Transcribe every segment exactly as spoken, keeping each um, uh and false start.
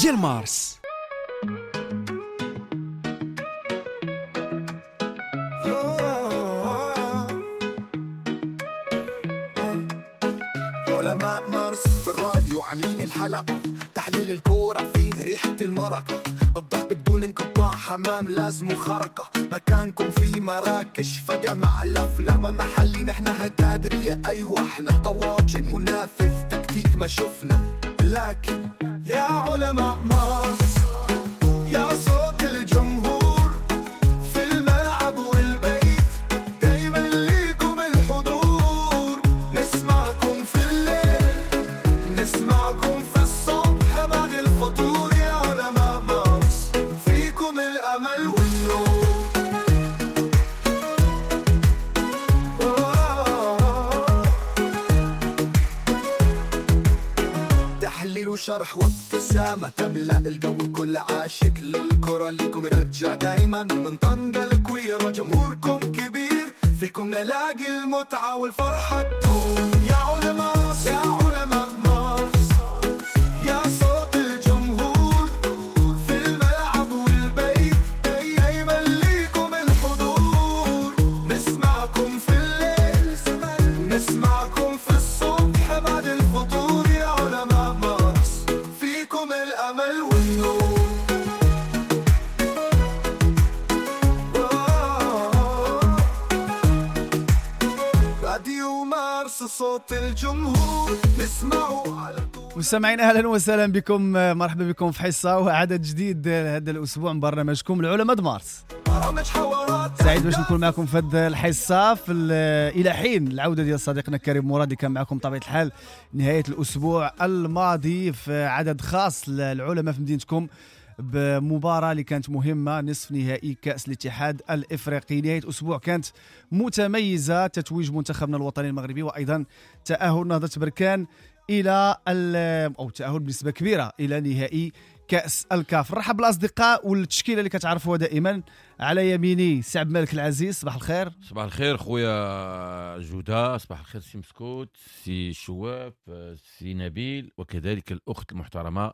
ديال مارس. علماء مارس في الراديو عاملين الحلقة، تحليل الكورة فيه ريحة المرقة، الضغط بدون انقطاع، حمام لازم خرقة، مكانكم في مراكش فجأة مع الأفلام محلي، نحن هتادرية أيوة احنا طواجن منافس تكتيك ما شفنا، لكن يا علماء مارس يا صوت الجمهور في الملعب والبيت، دايما ليكم الحضور، نسمعكم في الليل نسمعكم في الصبح بعد الفطور، يا علماء مارس فيكم الأمل والنور. تحليل وشرح وابتسامة تملأ الجو، كل عاشق للكرة لكم يرجع دايما، من طنجة الكويرة جمهوركم كبير، فيكم نلاقي المتعة والفرحة تدوم، يا علماء يا علماء مارس يا صوت الجمهور في الملعب والبيت، دايما ليكم الحضور، نسمعكم في الليل نسمعكم في الصبح بعد الفطور، يا علماء مارس فيكم الأمل والنور. راديو مارس صوت الجمهور نسمعه على طول. مستمعين اهلا وسهلا بكم، مرحبا بكم في حصة وعدد جديد هذا الاسبوع من برنامجكم العلماء مارس. سعيد باش نكون معكم في هذه الحصة في الى حين العودة ديال صديقنا كريم مراد اللي كان معكم بطبيعة الحال نهاية الاسبوع الماضي في عدد خاص للعلماء في مدينتكم بمباراة اللي كانت مهمة، نصف نهائي كاس الاتحاد الافريقي. نهاية اسبوع كانت متميزة، تتويج منتخبنا الوطني المغربي وايضا تاهل نهضة بركان الى او تاهل بنسبة كبيرة الى نهائي كاس الكاف. نرحب بالاصدقاء والتشكيله اللي كتعرفوها دائما. على يميني سي عبد الملك العزيز، صباح الخير. صباح الخير خويا جوده، صباح الخير سي مسكوت، سي شواف، سي نبيل، وكذلك الاخت المحترمة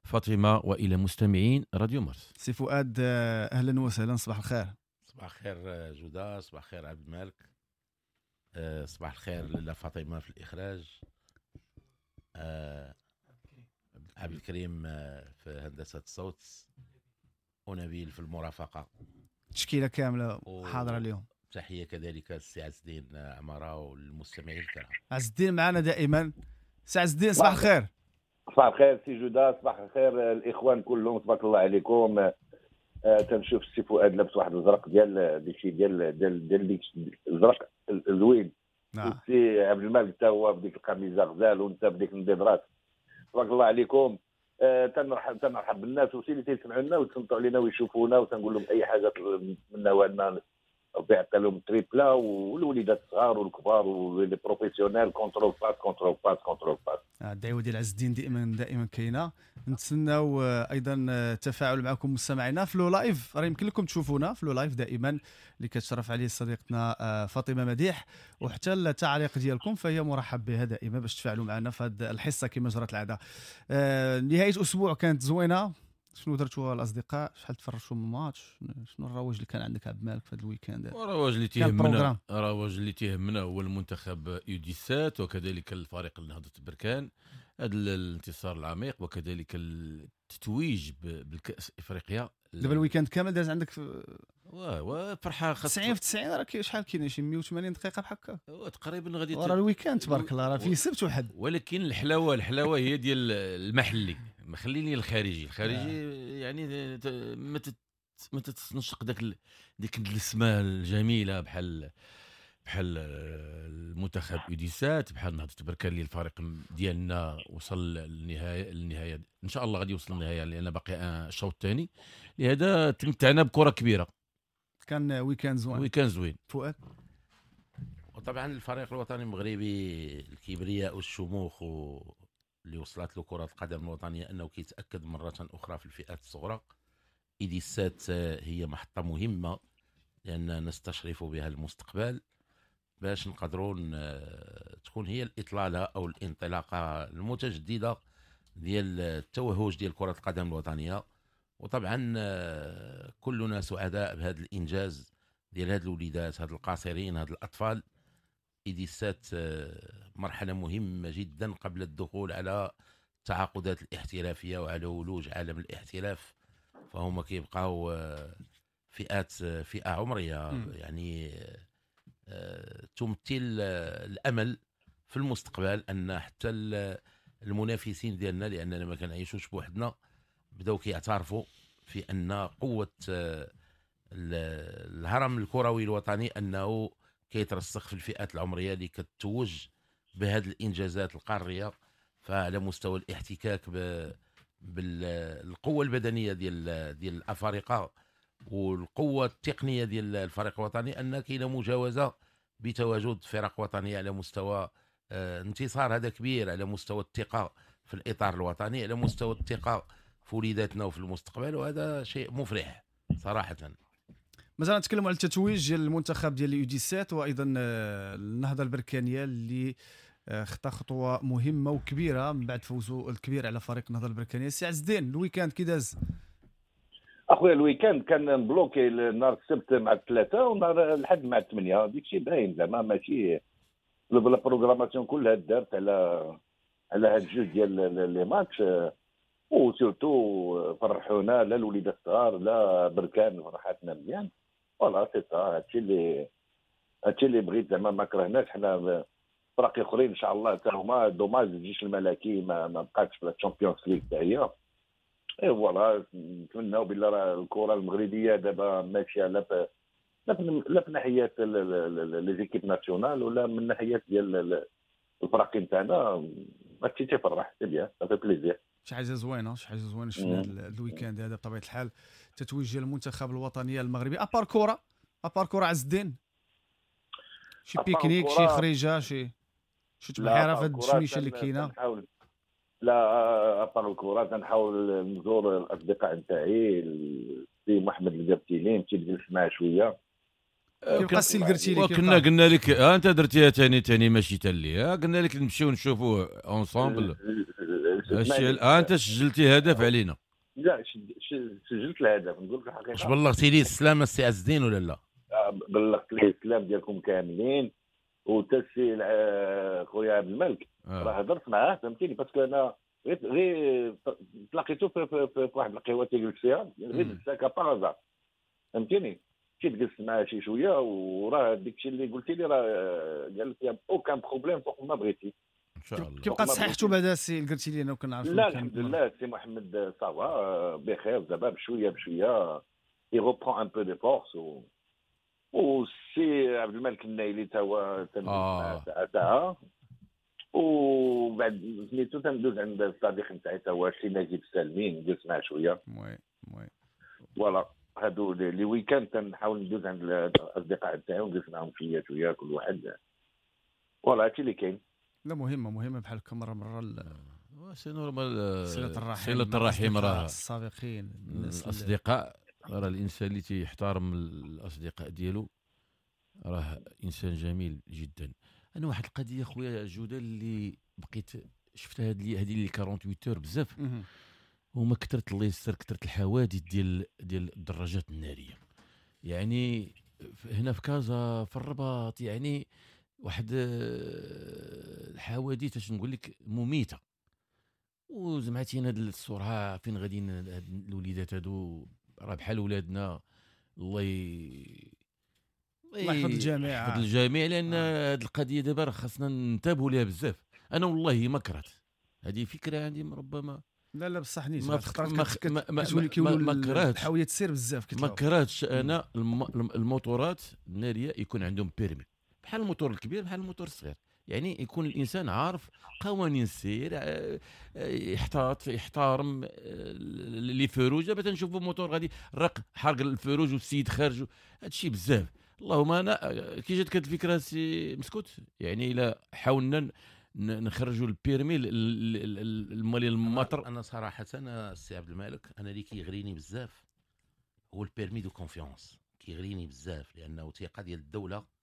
فاطمة، والى مستمعين راديو مارس. سي فؤاد اهلا وسهلا، صباح الخير. صباح الخير جوده، صباح الخير عبد الملك، صباح الخير لاله فاطمة في الاخراج، عبد الكريم في هندسة الصوت، ونبيل في المرافقة. تشكيله كاملة حاضره اليوم. تحية كذلك السي عز الدين عمارة والمستمعين الكرام. عز الدين معنا دائما. سي عز الدين صباح الخير. صباح الخير سي جوده، صباح الخير الاخوان كلهم، تبارك الله عليكم. آه تنشوف السي فؤاد لابس واحد الزرق ديال ديك ديال ديال ديال ديك الزرق زوين. نعم. السي عبد الملك حتى هو بديك القميصه غزال، وانت بديك النظارات، تبارك الله عليكم. آه تنرحب تنرحب بالناس وسي اللي تيسمعوا لنا ويتصنتوا علينا ويشوفونا، وتنقول لهم اي حاجة منا وعندنا ربي يعطي لهم triplé، والوليدات الصغار والكبار و les professionnels، contrôle passe contrôle passe contrôle passe. الدعوة ديال عز الدين دائما دائما كاينه. نتسناو ايضا التفاعل معكم مستمعينا في le live، راه يمكن لكم تشوفونا في le live دائما اللي كتشرف عليه صديقتنا فاطمة مديح، وحتى التعليق ديالكم فهي مرحب بها دائما باش تفاعلوا معنا في هذه الحصة كما جرت العادة. نهاية اسبوع كانت زوينة، شنو درتوا الاصدقاء؟ شحال تفرجتوا من ماتش؟ شنو الرواج اللي كان عندك عبد المالك في هذا ال week-end؟ الرواج اللي تيهمنا الرواج اللي تيهمنا هو المنتخب U dix-sept وكذلك الفريق نهضة بركان، هذا الانتصار العميق وكذلك التتويج بالكاس افريقيا. دابا ال week-end كامل داز عندك في واه وفرحه خاصة تسعين في تسعين، راه شحال كاين شي مية وثمانين دقيقة بحال هكا تقريبا غادي. راه ال week-end تبارك الله راه فيه سبت وحد، ولكن الحلاوة الحلاوة هي ديال المحلي، ما خليني الخارجي الخارجي يعني ما ما تتنشق داك ديك السماء الجميلة بحال بحال المنتخب U dix-sept، بحال نهضة بركان اللي الفريق ديالنا وصل للنهاية النهاية ان شاء الله غادي يوصل للنهاية لان باقي الشوط الثاني، لهذا تمتعنا بكره كبيرة. كان week-end زوين، week-end زوين. فؤاد وطبعا الفريق الوطني المغربي الكبرياء والشموخ اللي وصلت له كره القدم الوطنية انه كيتاكد مرة اخرى في الفئات الصغرى. U dix-sept هي محطة مهمة لان نستشرف بها المستقبل باش نقدروا تكون هي الاطلاله او الانطلاقة المتجددة ديال التوهج ديال كره القدم الوطنية. وطبعا كلنا سعداء بهذا الانجاز ديال هاد الوليدات، هاد القاصرين، هاد الاطفال. U dix-sept مرحلة مهمة جدا قبل الدخول على التعاقدات الاحترافية وعلى ولوج عالم الاحتراف، فهم كيبقاو فئات فئة عمرية م. يعني تمثل الامل في المستقبل ان حتى المنافسين ديالنا، لاننا ما كنعيشوش بوحدنا، بداو كيعترفوا في ان قوة الهرم الكروي الوطني انه كيترسخ في الفئات العمرية اللي كتتوج بهذه الانجازات القارية. فعلى مستوى الاحتكاك بالقوة البدنية ديال ديال الافارقة والقوه التقنية ديال الفريق الوطني، ان كاينه مجاوزة بتواجد فرق وطنية على مستوى انتصار هذا كبير، على مستوى الثقة في الاطار الوطني، على مستوى الثقة في وليداتنا وفي المستقبل، وهذا شيء مفرح صراحة. مازال نتكلموا على التتويج ديال المنتخب ديال U dix-sept وايضا النهضة البركانيه اللي خطا خطوة مهمة وكبيره من بعد فوزه الكبير على فريق النهضة البركانيه. سي عز الدين، ال week-end كي داز؟ اخويا ال week-end كان bloqué نهار السبت مع الثلاثة ونهار الاحد مع الثمانية، ديك الشيء باين زعما ماشي la programmation كلها دارت على على هاد الجوج ديال les matchs، و surtout فرحونا لا الوليدات الصغار لا بركان فرحاتنا مزيان. voilà c'est ça، هادشي اللي هادشي اللي بغيت زعما، ما كرهناش حنا فرق اخرين ان شاء الله حتى هما. dommage الجيش الملكي ما, ما بقاتش في ال Champions League حتى هي. et voilà نتمناو بالله راه الكره المغربية دابا ماشية لا في لا في ناحية les équipes nationales ولا من ناحية ديال الفرق نتاعنا. هادشي تيفرح، c'est bien، ça fait plaisir. شي حاجة زوينة، شي حاجة زوينة شفنا هذا ال week-end هذا بطبيعة الحال، تتويج ديال المنتخب الوطني المغربي. à part كره، à part كره عز الدين، شي pique-nique، شي خريجة، شي شي تبحيره في هاد الشميشه اللي كاينه؟ لا à part الكره تنحاول نزور الاصدقاء نتاعي، السي محمد القرتيلي نمشي نجلس معاه شوية. كيبقى السي القرتيلي؟ وكنا قلنا لك ها انت درتيها ثاني ثاني ماشي تالي، ها قلنا لك نمشيو نشوفوه ensemble. ها انت سجلتي هدف علينا. لا سجلت الهدف، نقول لك الحقيقة. واش بلغتي لي السلامة السي عز الدين ولا لا؟ بلغت ليه السلام ديالكم كاملين، وتا السي خويا عبد الملك راه هضرت معاه، فهمتيني، parce que انا غير غير تلاقيتو في, في, في, في واحد القهوة تيجلس فيها غير بالساكا par hasard، فهمتيني، مشيت جلست معاه شي شوية، وراه داك الشيء اللي قلتي لي راه قال لك aucun problème فوق ما بغيتي ان شاء الله. كيبقى صحيحته بعدا السي القرتيلي؟ انا كنعرف لا الحمد لله السي محمد ça va بخير دابا، بشوية بشوية il reprend un peu de force. و والسي عبد الملك النايلي تا هو تندوز ساعة ساعة، وبعد سميتو تندوز عند الصديق نتاعي تا هو السي نجيب السالمين، ندوز معاه شوية. oui oui voilà هادو les week-ends تنحاول ندوز عند الاصدقاء نتاعي ونجلس معاهم شوية شوية كل واحد. voilà هادشي اللي كاين. لا مهمة مهمة بحال هكا مرة مرة c'est normal، صله الرحم، صله الرحم راه السابقين الاصدقاء، راه الانسان اللي تيحترم الاصدقاء ديالو راه انسان جميل جدا. انا واحد القضية خويا جوده اللي بقيت شفتها هاد هذه اللي ثمانية وأربعين heures بزاف، هما كثرت الله يستر كثرت الحوادث ديال ديال الدراجات النارية، يعني هنا في كازا في الرباط، يعني واحد الحوادث اش نقول لك مميته. وزعما هاد السرعة فين غاديين هاد الوليدات هادو، راه بحال ولادنا، الله ي... الله يحفظ الجميع، يحفظ الجميع، لان آه. هاد القضية دابا راه خاصنا ننتبهوا ليها بزاف. انا والله ما كرهت هذه فكرة عندي، ربما لا لا بصح نيت ما ما ما, ما كرهتش الحاويه تسير بزاف، ما كرهتش انا الموتورات النارية يكون عندهم permis بحال الموتور الكبير بحال الموتور الصغير، يعني يكون الانسان عارف قوانين السير، يحتاط يحترم les feux rouges. دابا تنشوفوا موتور غادي رق حرق ال feu rouge والسيد خارج، هادشي بزاف. اللهم انا كي جاتك هاد الفكرة سي مسكوت، يعني الا حاولنا نخرجوا ال permis المالي المطر. انا صراحة انا السي عبد الملك انا اللي كيغريني بزاف هو ال permis de confiance، كيغريني بزاف لانه ثقة ديال الدولة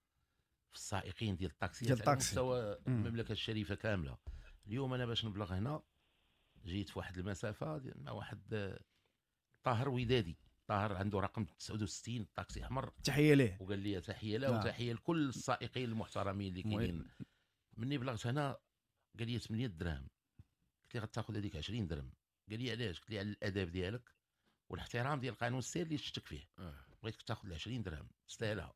في السائقين ديال الطاكسيات على مستوى المملكة الشريفة كاملة. اليوم انا باش نبلغ هنا جيت في واحد المسافة مع واحد طاهر ودادي، طاهر عنده رقم تسعة وستين طاكسي احمر، تحية ليه، وقال لي تحية له وتحية لكل السائقين المحترمين اللي كاينين. مني بلغت هنا قال لي ثمانية دراهم، قلت لي غتاخذ هذيك عشرين درهم. قال لي علاش؟ قلت لي على الاداب ديالك والاحترام ديال قانون السير اللي شتك فيه، بغيتك تاخذ عشرين درهم تستاهلها.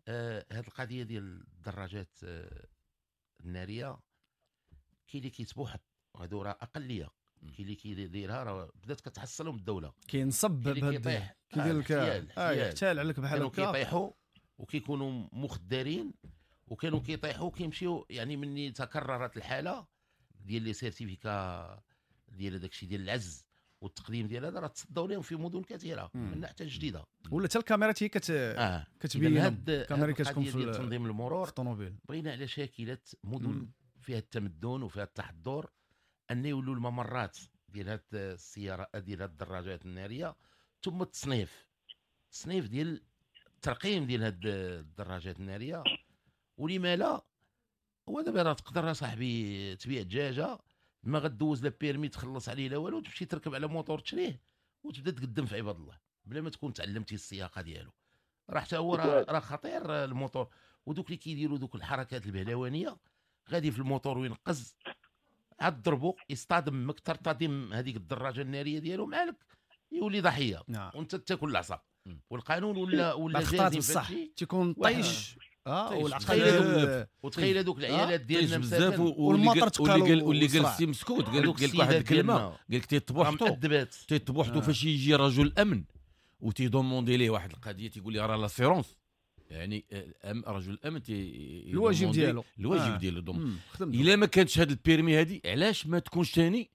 آه هاد القضية ديال الدراجات آه النارية كاين اللي كيتبوحط، وهادو راه اقلية، كاين اللي كيديرها راه بدات كتحصلهم الدولة، كينصب بهاد كيدير لك اه يحتال عليك بحال هكا، كانوا كيطيحوا وكيكونوا مخدرين وكانوا كيطيحوا وكيمشيو. يعني مني تكررت الحالة ديال les certificats ديال داكشي ديال العز والتقديم ديال هذا راه تصدوا لهم في مدن كثيرة من حتى جديدة، ولا حتى الكاميرات هي كت آه. كتبين الكاميرا كتكون في تنظيم المرور في الطوموبيل. بغينا على شاكله مدن مم. فيها التمدن وفيها التحضر ان يولوا الممرات ديال هاد السيارة ديال هاد الدراجات النارية، ثم التصنيف التصنيف ديال الترقيم ديال هاد الدراجات النارية. ولما لا، هو دابا راه تقدر صاحبي تبيع دجاجه ما غدوز لا permis تخلص عليه لا والو، تمشي تركب على موتور تشريه وتبدا تقدم في عباد الله بلا ما تكون تعلمتي السياقه ديالو. راه حتى هو راه خطير الموتور، ودوك اللي كيديروا دوك الحركات البهلوانيه غادي في الموتور وينقز عاد ضربو يصطدم ترتدم هذيك الدراجة النارية ديالو معلك يولي ضحية. نعم. وانت تاكل العصا. والقانون ولا ولا جازم بصح تيكون طيش اه والعقل. وتخيل هذوك العيالات ديالنا بزاف واللي واللي جالس مسكوت قال لك واحد الكلمة، قال لك تيطبحتو تيطبحتو فاش يجي رجل امن وتي demander ليه واحد القضية تيقول لي راه l'assurance، يعني رجل الامن تي الواجب ديالو الواجب ديالو. الا ما كانتش هاد ال permis هادي علاش ما تكونش ثاني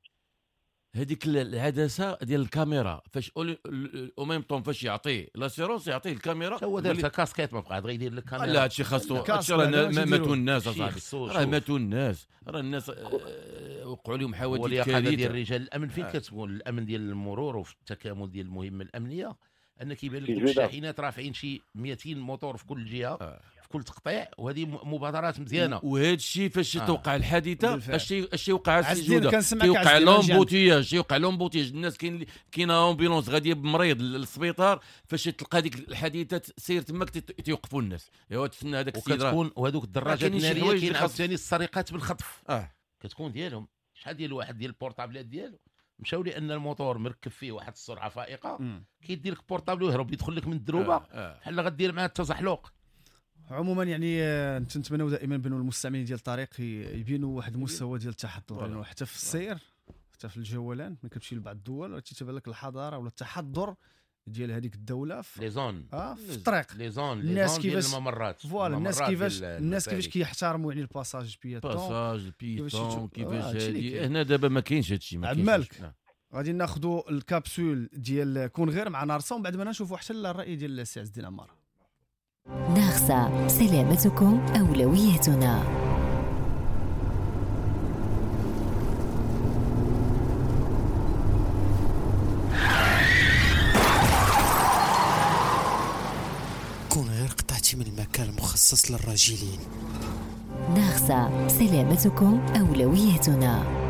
هذيك العدسة ديال الكاميرا فاش au même temps فاش يعطيه l'assurance يعطيه الكاميرا. هو دار كاسكيت ما بقى غير يدير لك كاميرا. لا هادشي خاصو، هادشي راه ماتوا الناس اصاحبي، راه ماتوا الناس، راه الناس وقعوا لهم حوادث كارثة ديال رجال الامن. فين كتكون الامن ديال المرور وفي التكامل ديال المهمة الامنية ان كيبان لك الشاحنات رافعين شي مئتين موتور في كل جهة آه. في كل تقطيع، وهذه مبادرات مزيانه. وهذا الشيء فاش توقع الحادثة الشيء الشيء وقع السجوده كيوقع l'embouteillage، يوقع l'embouteillage، الناس كاين كاين ambulance غادية بمريض للسبيطار، فاش تلقى ديك الحادثة سير تماك تيوقفوا الناس، ايوا تسنى هذاك السيد. وكتكون وهذوك الدراجات النارية كاين عاوتاني السرقات بالخطف آه. كتكون ديالهم شحال ديال واحد ديال ال portable ات ديالو مشاو لان الموتور مركب فيه واحد السرعة فائقة، كيدير لك portable ويهرب يدخل لك من الدروبه بحال آه. غدير معاه التزحلق. عموما يعني نتمنوا دائما بانه المستعملين ديال الطريق يبينوا واحد المستوى ديال التحضر، لانه حتى في السير حتى في الجولان ملي كتمشي لبعض الدول تيتبان لك الحضارة ولا التحضر ديال هذيك الدولة في les zones اه في الطريق les zones الناس كيفاش الممرات voilà الناس كيفاش الناس كيفاش كيحترموا يعني ال passage piéton passage piéton كيفاش هادي. هنا دابا ما كاينش هادشي، ما كاينش. مالك غادي ناخذوا الكابسول ديال كون غير مع نارسا ومن بعد ما نشوفوا حتى الراي ديال السي عز الدين عمارة. نارسا، سلامتكم اولويتنا. كون غير قطعتي من المكان المخصص للراجلين. نارسا، سلامتكم أولويتنا.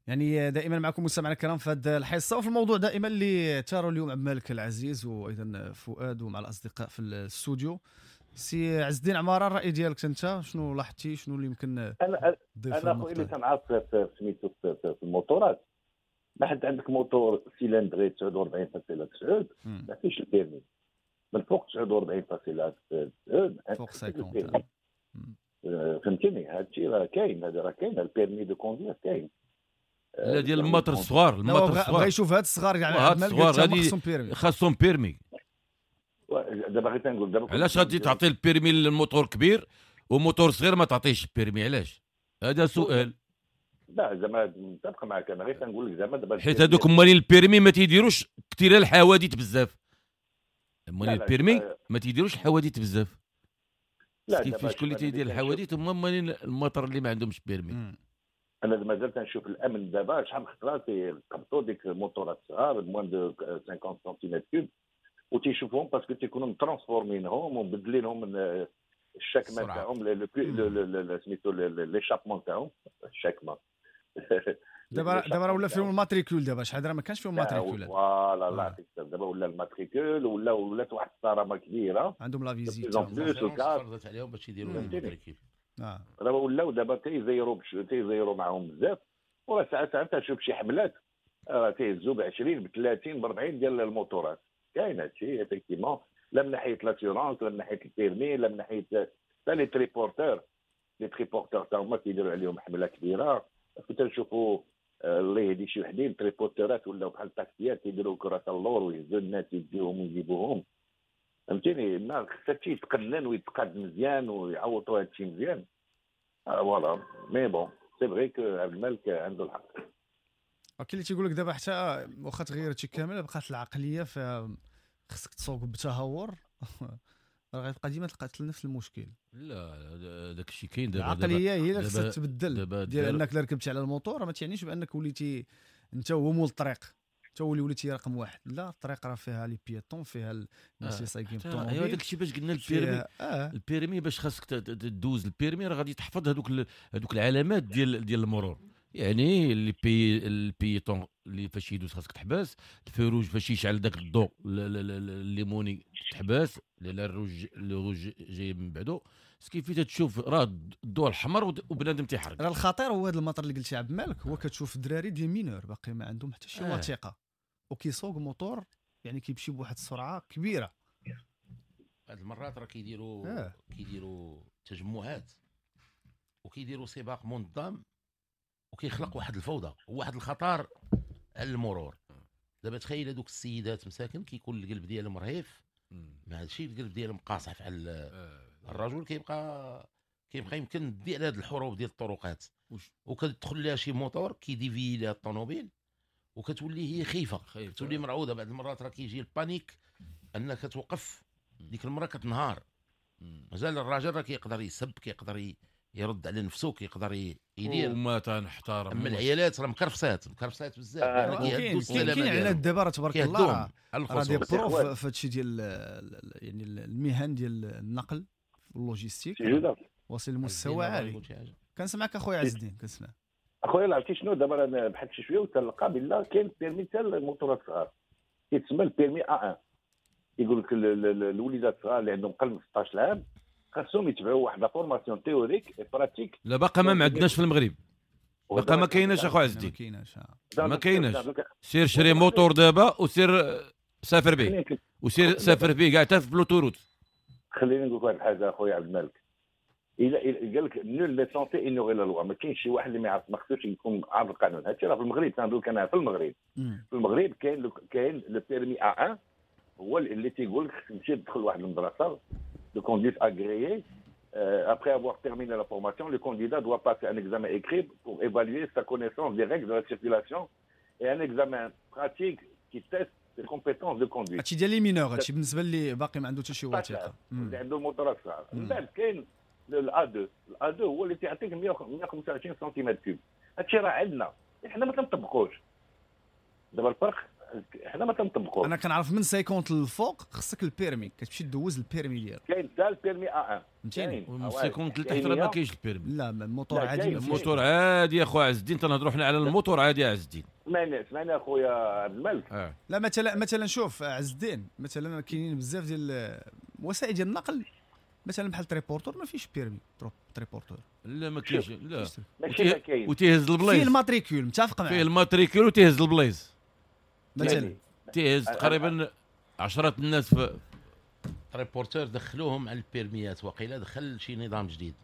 يعني دائما معكم مستمعينا الكرام في هذه الحصة وفي الموضوع دائما اللي تاروا اليوم عبد الملك العزيز وايضا فؤاد ومع الاصدقاء في الاستوديو. سي عز الدين عمارة، الراي ديالك انت شنو لاحظتي، شنو اللي يمكن؟ انا انا خويا اللي تنعرف في سميتو في الموتورات، ما حد عندك moteur cylindrée تسعة وأربعين فاصلة تسعة ما فيش ال permis من فوق تسعة وأربعين فاصلة تسعة فوق خمسين. فهمتيني؟ هادشي راه كاين، هذا راه كاين ال permis de conduire كاين. لا ديال المطر الصغار، المطر الصغار بغا يشوف هاد الصغار يعني هاد الصغار غادي خاصهم permis. دابا غير تنقول دابا علاش غادي تعطي ال permis لل moteur كبير وموتور صغير ما تعطيهش ال permis؟ علاش؟ هذا سؤال. لا زعما متفق معك، انا غير تنقول لك زعما دابا حيت هذوك مالين ال permis ما تيديروش كثير الحوادث بزاف. مالين ال permis ما تيديروش الحوادث بزاف. لا كيفاش شكون اللي تيدير الحوادث؟ هما مالين المطر اللي ما عندهمش permis. انا مازال تنشوف الامن دابا شحال من خطره تيقبطوا ديك الموتورات الصغار moins de خمسين centimètres cubes وتيشوفوهم parce que تيكونوا مترانسفورمينهم ومبدلينهم من الشكمه تاعهم سميتو l'échappement تاعهم الشكمه دابا دابا ولا فيهم ال matricule، دابا شحال راه ما كانش فيهم matricule. voilà الله يعطيك الصحة، دابا ولا ال matricule ولا ولات واحد الصرامه كبيرة عندهم la visite فرضت عليهم باش يديروا ال matricule. دابا ولاو دابا تيزيروا تيزيروا معاهم بزاف، وراه ساعات ساعات تشوف شي حملات راه تيهزوا ب عشرين ب ثلاثين ب أربعين ديال الموتورات. كاين هادشي effectivement، لا من ناحية l'assurance، لا من ناحية ال permis، لا من ناحية حتى les triporteurs. les triporteurs تا هما كيديروا عليهم حمله كبيرة. كنت نشوفوا الله يهدي شي وحدين triporteur ات ولاو بحال الطاكسيات كيديروا كره اللور ويهزوا الناس يديوهم ويجيبوهم، فهمتيني؟ ما خص هادشي يتقنن ويتقاد مزيان ويعوضوا هادشي مزيان. voilà mais bon c'est vrai que عبد الملك عنده الحق. كاين اللي تيقول لك دابا حتى واخا تغير هادشي كامل بقات العقلية، خصك تسوق بتهور راه غتبقى ديما تلقى نفس المشكل. لا داك الشيء كاين دابا، العقلية هي اللي خصها تبدل، ديال انك لا ركبتي على الموتور ما تعنيش بانك وليتي انت هو مول الطريق، انت هو اللي وليتي رقم واحد. لا الطريق راه فيها les piétons، فيها الناس اللي سايقين بالطوموبيل. ايوا داك الشيء باش قلنا ال permis آه. ال permis باش خاصك تدوز ال permis راه غادي تحفظ هذوك هذوك العلامات ديال ديال المرور، يعني les pi ال piéton اللي فاش يدوز خاصك تحبس، ال feu rouge فاش يشعل داك الضوء الليموني تحبس، لان ال rouge le rouge جاي من بعدو. ce qui fait تشوف راه الضوء الحمر وبنادم تيحرق. راه الخطير هو هذا المطر اللي قلتي عبد الملك، هو كتشوف الدراري des mineurs باقي ما عندهم حتى شي وثيقة وكيسوق موتور، يعني كيمشي بواحد السرعة كبيرة. بعض المرات راه كيديروا آه. كيديروا تجمعات وكيديروا سباق منظم وكيخلق واحد الفوضى وواحد الخطر على المرور. دابا تخيل هذوك السيدات مساكن كيكون القلب ديالهم رهيف، مع هادشي القلب ديالهم قاصح على الرجل، كيبقى كيبقى يمكن دي على هاد الحروب ديال الطرقات، وكتدخل لها شي موتور كي dévier لها الطوموبيل وكتولي هي خايفة، كتولي مرعوده. بعض المرات راه كيجي ال panique انك توقف ديك المرة كتنهار. مازال الراجل راه كيقدر يسب، كيقدر يرد على نفسه، كيقدر يدير وما تنحترم. اما العيالات راه مكرفسات مكرفسات بزاف. آه كاين كاين عيالات دابا راه تبارك الله راه des profs في هادشي ديال يعني المهن ديال النقل ال logistique واصل لمستوى عالي. كنسمعك اخويا عز الدين، كنسمع اخويا. عرفتي شنو دابا انا بحثت شي شوية وتلقى بالله كاين permis حتى الموتورات الصغار كيتسمى ال permis A واحد. يقول لك الوليدات الصغار اللي عندهم قل من ستة عشر عام خاصهم يتبعوا واحد la formation théorique pratique. لا باقا ما عندناش في المغرب، باقا ما كايناش اخو عز الدين، ما كايناش ما كايناش. سير شري موتور دابا وسير سافر به، وسير سافر به كاع حتى في l'autoroute. خليني نقول لك واحد الحاجة اخويا عبد الملك، الا قال لك nul n'est censé ignorer la loi، ما كاينش شي واحد اللي ما يعرف، ما خصوش يكون عارف القانون. هادشي راه في المغرب تنقول لك انا في المغرب، في المغرب كاين كاين le permis A واحد هو اللي تيقول لك تمشي تدخل واحد المدرسة de conduite agréée. Euh, après avoir terminé la formation, le candidat doit passer un examen écrit pour évaluer sa connaissance des règles de la circulation et un examen pratique qui teste ses compétences de conduite. هادشي ديال les mineurs، هادشي بالنسبة اللي باقي ما عنده حتى شي وثيقة، اللي عنده موتور صغار. من بعد كاين ال A اثنين، ال A اثنين هو اللي تيعطيك مية وخمسة وعشرين centimètres cubes. هادشي راه عندنا، حنا ما تنطبقوش. دابا الفرق حنا ما تنطبقوش. انا كنعرف من خمسين للفوق خصك ال permis، كتمشي دوز ال permis ديالك. كاين حتى ال permis A واحد، فهمتيني؟ من خمسين لتحت راه ما كاينش ال permis. لا الموتور عادي، الموتور عادي يا خويا عز الدين، تنهضروا حنا على الموتور عادي يا عز الدين. سمعني سمعني اخويا عبد الملك. آه. لا مثلا مثلا شوف عز الدين، مثلا كاينين بزاف ديال وسائل ديال النقل، مثلا بحال triporteur ما فيش permis triporteur. لا ما كاينش، لا ماشي ما كاين. وتيهز البلايص فيه ال matricule، متفق معاك، فيه ال matricule وتيهز البلايص مثلا تيهز تقريبا عشرة الناس في triporteur. دخلوهم على ال permis ات، وقيله دخل شي نظام جديد،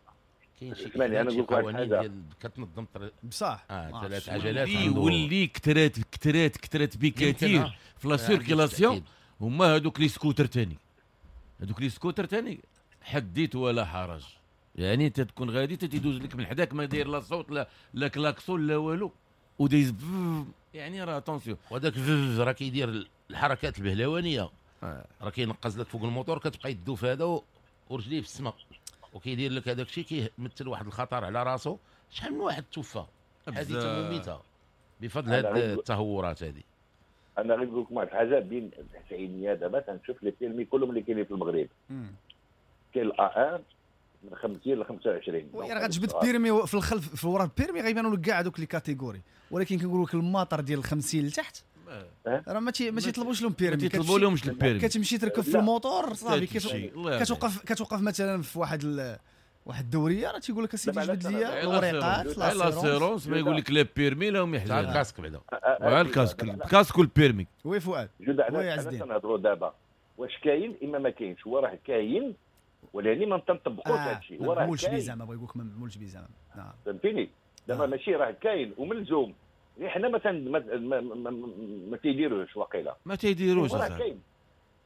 كاين شي قوانين ديال كتنظم بصح اه ثلاث عجلات واللي كثرات كثرات كثرات بكثير في la circulation هما هذوك les scooters ثاني، هذوك les scooters ثاني حديت ولا حرج. يعني انت تكون غادي تيدوز لك من حداك ما داير لا صوت لا لا كلاكسون لا والو ودايز، يعني راه attention. وهذاك راه كيدير الحركات البهلوانيه، راه كينقز لك فوق الموتور، كتبقى يدو في هذا ورجليه في السماء وكيدير لك هذاك الشيء، كيمثل واحد الخطر على راسو. شحال من واحد توفى حادثه مميته بفضل هذه التهورات هذه. انا غير نقول لكم واحد الحاجة، بين التسعينيات دابا تنشوف les permis كلهم اللي كاينين في المغرب، كاين ال A واحد من خمسين ل خمسة وعشرين. oui راه غتجبد permis في الخلف في ورا ال permis غيبانوا لك كاع دوك les catégories، ولكن كنقول لك الماطر ديال خمسين لتحت راه ما ما تيطلبوش لهم permis، ما تيطلبوا لهمش ال permis. كتمشي تركب في الموتور صافي كتوقف كتوقف مثلا في واحد ال... واحد الدورية راه تيقول لك اسيدي جبد لي الوريقات l'assurance، ما يقول لك لا permis لا هم يحزنوا ال casque بعدا ال casque ال casque وال permis. oui فؤاد oui عز الدين نهضروا دابا واش كاين اما ما كاينش. هو راه كاين ولكن ما تنطبقوش هذا الشيء. هو راه معمولش بيه زعما، بغا يقول لك ما معمولش بيه زعما. نعم فهمتيني دابا ماشي راه كاين وملزوم، حنا ما ما ما, ما تيديروش وقيله ما تيديروش راه كاين.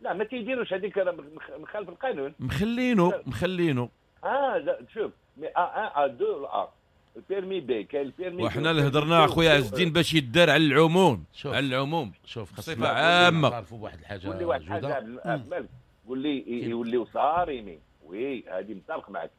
لا ما تيديروش هذيك راه مخالف القانون، مخلينو مخلينو اه شوف mais A واحد A اثنين A ال permis B كاين ال permis. وحنا اللي هضرنا اخويا عز الدين باش يدار على العموم، على العموم شوف بصفة عامة. نعرفوا بواحد الحاجة قول لي واحد الحاجة عبد قول لي يوليو صارمين. oui هذه متفق معك،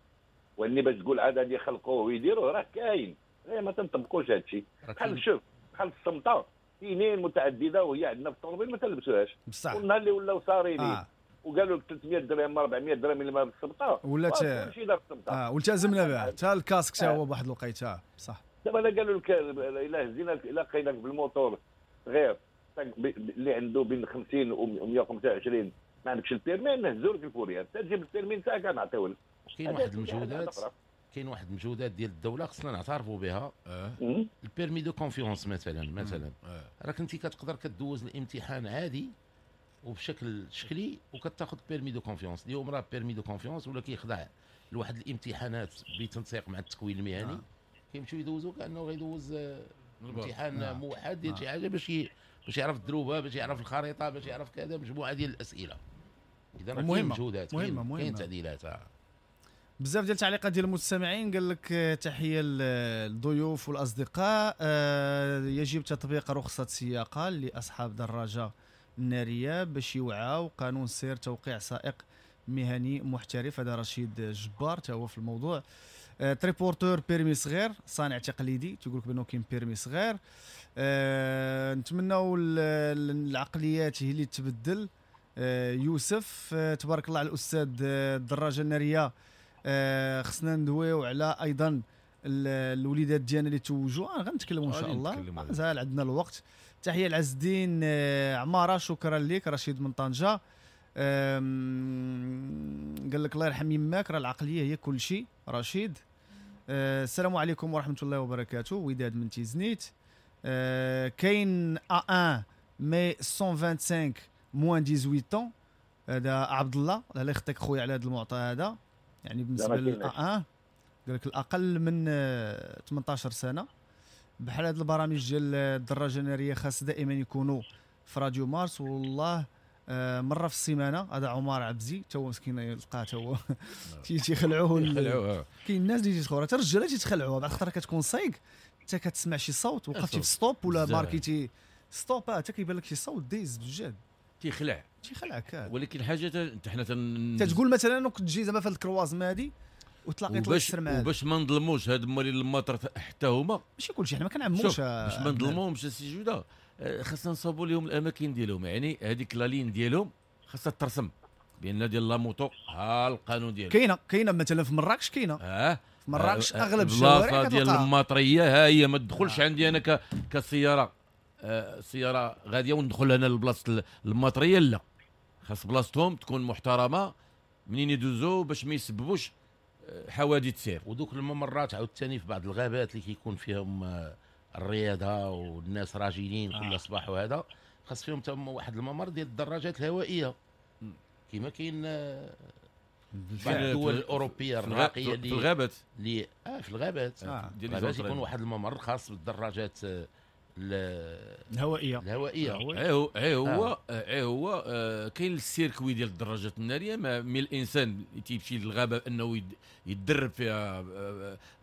واني باش تقول عاد هذه يخلقوه ويديروه راه كاين، غير ما تنطبقوش هذا الشيء. بحال شوف بحال الصمته كاينين متعددة وهي عندنا في الطوموبيل ما تلبسوهاش، والنهار اللي ولاو صارمين آه. وقالوا لك ثلاثمية درهم أربعمية درهم اللي ما بالصمته ولات كلشي دار الصمته اه والتزمنا بها حتى ال casque حتى هو بواحد الوقيته صح. دابا الا قالوا لك الا هزينا الا لقيناك بالموتور غير اللي عنده بين خمسين و مية وخمسة وعشرين ما عندكش ال permis نهزوا لك ال fourrière، تجيب ال permis تاعك نعطيوه لك. كاين واحد المجهودات كاين واحد المجهودات ديال الدولة خصنا نعترفوا بها. أه. ال permis de confiance مثلا مثلا أه. راك انت كتقدر كدوز الامتحان عادي وبشكل شكلي وكتاخذ permis de confiance. اليوم راه permis de confiance ولا كيخضع لواحد الامتحانات بتنسيق مع التكوين المهني. آه. كيمشيو يدوزو كانه غيدوز امتحان آه. موحد ديال شي حاجة باش ي... باش يعرف الدروبه، باش يعرف الخريطة، باش يعرف كذا، مجموعة ديال الاسئلة. اذا راه كاين مجهودات، كاين كاين تعديلات. آه. بزاف ديال التعليقات ديال المستمعين قال لك تحية للضيوف والاصدقاء، يجب تطبيق رخصه سياقه لاصحاب دراجة النارية باش يوعاو قانون سير توقيع سائق مهني محترف. هذا رشيد جبار تا هو في الموضوع. triporteur permis صغير صانع تقليدي تيقول لك بانه كاين permis صغير. أه نتمناو العقليات هي اللي تبدل. أه يوسف أه تبارك الله على الاستاذ الدراجة النارية. أه خصنا ندويو على ايضا الوليدات ديالنا اللي توجوا، آه غنتكلموا ان شاء الله مازال عندنا الوقت. تحية لعز الدين عمارة، شكرا لك. رشيد من طنجه قال لك الله يرحم يماك راه العقلية هي كل شيء. رشيد السلام عليكم ورحمة الله وبركاته. وداد من تيزنيت. كاين A واحد mais مية وخمسة وعشرين moins ثمانية عشر، هذا عبد الله الله يخطيك خويا على هذا المعطى هذا. يعني بالنسبة لل A واحد قال لك الاقل من ثمنطاش سنة. بحال هاد البرامج ديال الدراجة النارية خاص دائما يكونوا في راديو مارس والله مرة في السيمانة. هذا عمر عبزي تا هو مسكين يلقاه تا هو تيخلعوه. كاين الناس اللي تيتخلعوا حتى الرجالة تيتخلعوا بعض الخطرة كتكون سايق حتى كتسمع شي صوت وقفتي في stop ولا ماركيتي stop حتى كيبان لك شي صوت دايز بالجد تيخلع تيخلعك. ولكن حاجة حنا تتقول مثلا انك تجي زعما في هاد ال croisement هادي وتلاقيت وباش وباش ما نظلموش هاد مالين المطر حتى هما ماشي كلشي، حنا ما كنعموش باش ما نظلموهمش السي جوده، خاصنا نصاوبوا لهم الاماكن ديالهم. يعني هذيك la ligne ديالهم خاصها ترسم بان ديال la moto ها القانون ديالو كاينه كاينه مثلا في مراكش كاينه اه في مراكش اغلب الشوارع ديال المطريه ها هي ما تدخلش آه. عندي انا كسياره آه سيارة غادية وندخل انا لبلاصه المطريه، لا خاص بلاصتهم تكون محترمه منين يدوزوا باش ما يسببوش حوادث سير. ودوك الممرات عاوتاني في بعض الغابات اللي كيكون فيهم الرياضة والناس راجلين كل صباح وهذا خاص فيهم تما واحد الممر ديال الدراجات الهوائية كما كاين بعض الدول الاوروبية الراقية اللي في الغابات اللي اه في الغابات آه. الغابات يكون واحد الممر خاص بالدراجات الهوائية الهوائية. اي هو اي هو اي هو آه كاين ال circuit ديال الدراجات النارية، mais الانسان تيمشي للغابه انه يتدرب فيها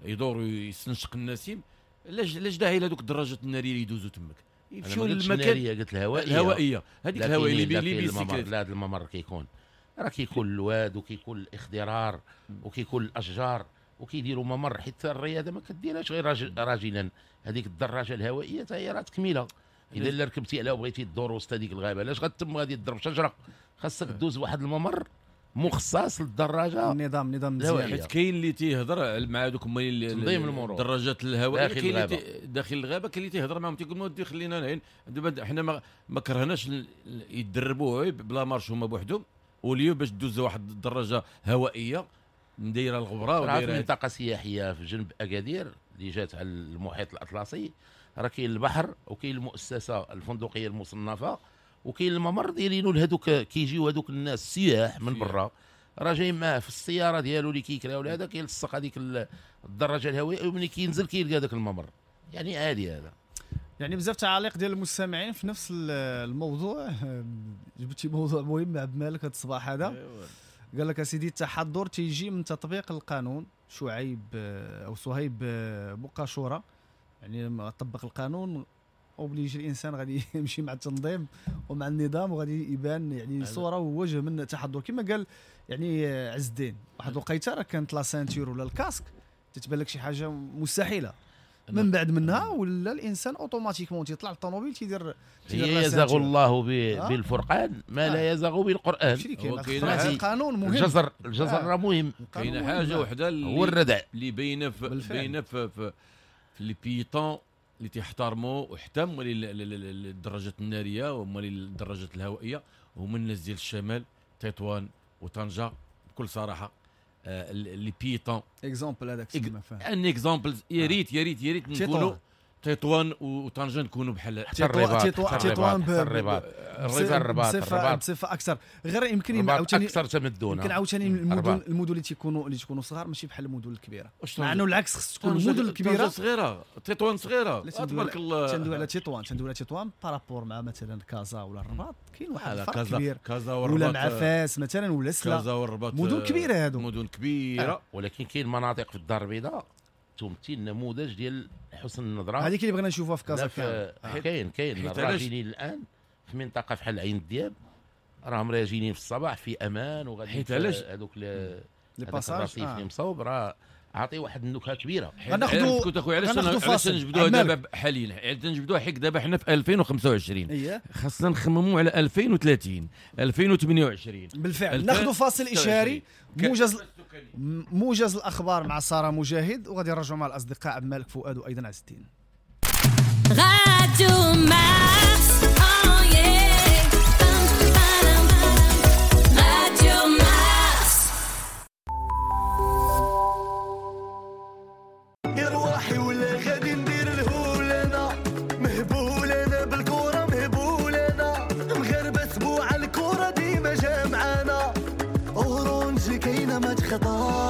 يدور ويستنشق النسيم، لاش لاش داعي لهذوك الدراجات النارية اللي يدوزوا تماك؟ يمشيو للمكان قلت الهوائية الهوائية هذيك الهوائية اللي اللي bicyclette. لا هذا الممر كيكون راه كيكون الواد وكيكون الاخضرار وكيكون الاشجار وكيديروا ممر، حيت الرياضة ما كديرهاش غير راجلا. هذيك الدراجة الهوائية حتى هي راه تكميله، اذا الا ركبتي عليها وبغيتي تدور وسط هذيك الغابة علاش غتم غادي تضرب شجرة؟ خاصك دوز واحد الممر مخصص للدراجه. النظام نظام مزيان، حيت كاين اللي تيهضر مع دوك هما تنظيم المرور الدراجات الهوائية، كاين اللي داخل الغابة، كاين اللي تيهضر معاهم تيقول ودي خلينا نعين. دابا حنا ما, ما كرهناش يدربوا بلا marche هما بوحدهم، واليوم باش دوز واحد الدراجة هوائية مدايره الغبرة ودايره منطقة سياحية في جنب اكادير اللي جات على المحيط الاطلسي، راه كاين البحر وكاين المؤسسة الفندقية المصنفه وكاين الممر دايرينو لهذوك، كيجيو هذوك الناس السياح من برا راه جاي معاه في السيارة ديالو اللي كيكراو لهذا، كيلصق هذيك الدراجة الهوائية وملي كينزل كيلقى هذاك الممر، يعني عادي هذا. يعني بزاف تعاليق ديال المستمعين في نفس الموضوع. جبتي موضوع مهم عبد المالك هذا الصباح هذا. قال لك اسيدي التحضر تيجي من تطبيق القانون. شعيب او صهيب بوقاشوره، يعني لما طبق القانون obligé الانسان غادي يمشي مع التنظيم ومع النظام وغادي يبان يعني صوره ووجه من التحضر. كما قال يعني عز الدين، واحد الوقيته راه كانت la ceinture ولا ال casque تتبان لك شي حاجة مستحيلة، من بعد منها ولا الانسان automatiquement تيطلع للطوموبيل تيدير يزغ الله بالفرقان ما لا يزغ بالقران. القانون مهم، الجزر الجزر راه مهم. كاينه حاجة وحده هو الردع اللي باينة باينة في في les piétons اللي تيحترموا وحتى مالي الدراجات النارية ومالي الدراجات الهوائية، هما الناس ديال الشمال تطوان وطنجه بكل صراحة. les piétons exemple هذاك تسمى فاهم un exemple. يا ريت يا ريت يا ريت نكونوا تطوان وطنجه نكونوا بحال تطوان تطوان الرباط الرباط الرباط بصفة اكثر. غير يمكن عاوتاني اكثر تمدنا، يمكن عاوتاني المدن المدن اللي تيكونوا اللي تكونوا صغار ماشي بحال المدن الكبيرة، مع انه العكس خص تكون المدن الكبيرة صغيرة. تطوان صغيرة تبارك الله. تندوي على تطوان تندوي على تطوان par rapport مع مثلا كازا ولا الرباط، كاين واحد الفرق كبير. كازا والرباط ولا مع فاس مثلا ولا سلا، كازا والرباط مدن كبيرة هادو، مدن كبيرة. ولكن كاين مناطق في الدار البيضاء تمثل نموذج ديال حسن النظرة، هذيك اللي بغينا نشوفوها في كازا. كاين كاين الراجلين الان في منطقة فحال عين الدياب راهم راجلين في الصباح في امان، وغادي هذوك les passages اللي مصوب راه عاطي واحد النكهة كبيرة. غناخذوا كنت اخويا علاش علاش نجبدوها دابا حاليا؟ علاش نجبدوها حيت دابا حنا في ألفين وخمسة وعشرين، خاصنا نخمموا على ألفين وثلاثين ألفين وثمانية وعشرين. بالفعل ناخذوا فاصل اشاري، موجز موجز الاخبار مع ساره مجاهد، وغادي نرجعوا مع الاصدقاء عبد المالك فؤاد وايضا عز الدين. راديو مارس، راديو مارس. يا روحي ولا غادي ندير الهول، انا مهبول، انا بالكرة مهبول، انا مغربه سبوع الكره ديما جامعانا، Orange كاينه ما تخطا.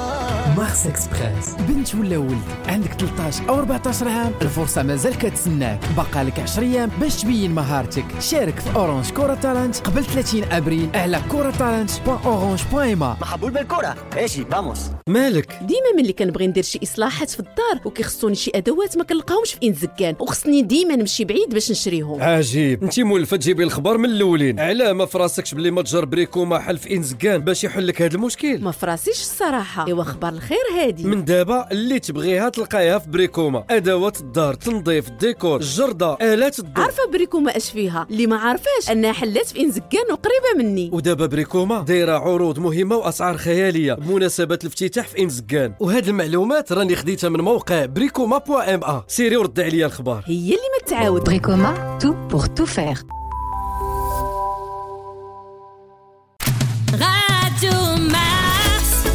Mars Express، بنت ولا ولد عندك ثلاثة عشر او أربعة عشر عام، الفرصة مازال كتسناك، بقى لك عشر ايام باش تبين مهارتك. شارك في Orange Koura Talent قبل ثلاثين ابريل على Koura Talent point Orange point ma. محبول بالكرة ايشي vamos. مالك ديما ملي كنبغي ندير شي اصلاحات في الدار وكيخصوني شي ادوات ما كنلقاهمش في انزكان، وخصني ديما نمشي بعيد باش نشريهم. عجيب، انت مولفه تجيبي الخبر من الاولين، علاه ما فراسكش بلي متجر بريكوما حل في انزكان باش يحل لك هذا المشكل؟ ما فراسيش الصراحة. ايوا خبر الخير هادي، من دابا اللي تبغيها تلقايها في بريكوما، ادوات الدار، تنظيف، الديكور، الجرده، الات الضوء. عارفه بريكوما اش فيها؟ اللي ما عارفاش انها حلات في انزكان وقريبه مني. ودابا بريكوما دايرة عروض مهمة واسعار خيالية بمناسبة الافتتاح في انزكان، وهاد المعلومات راني خديتها من موقع بريكوما point ma. سيري وردي عليا الخبار، هي اللي ما تعاود. بريكوما tout pour tout faire. راديو مارس،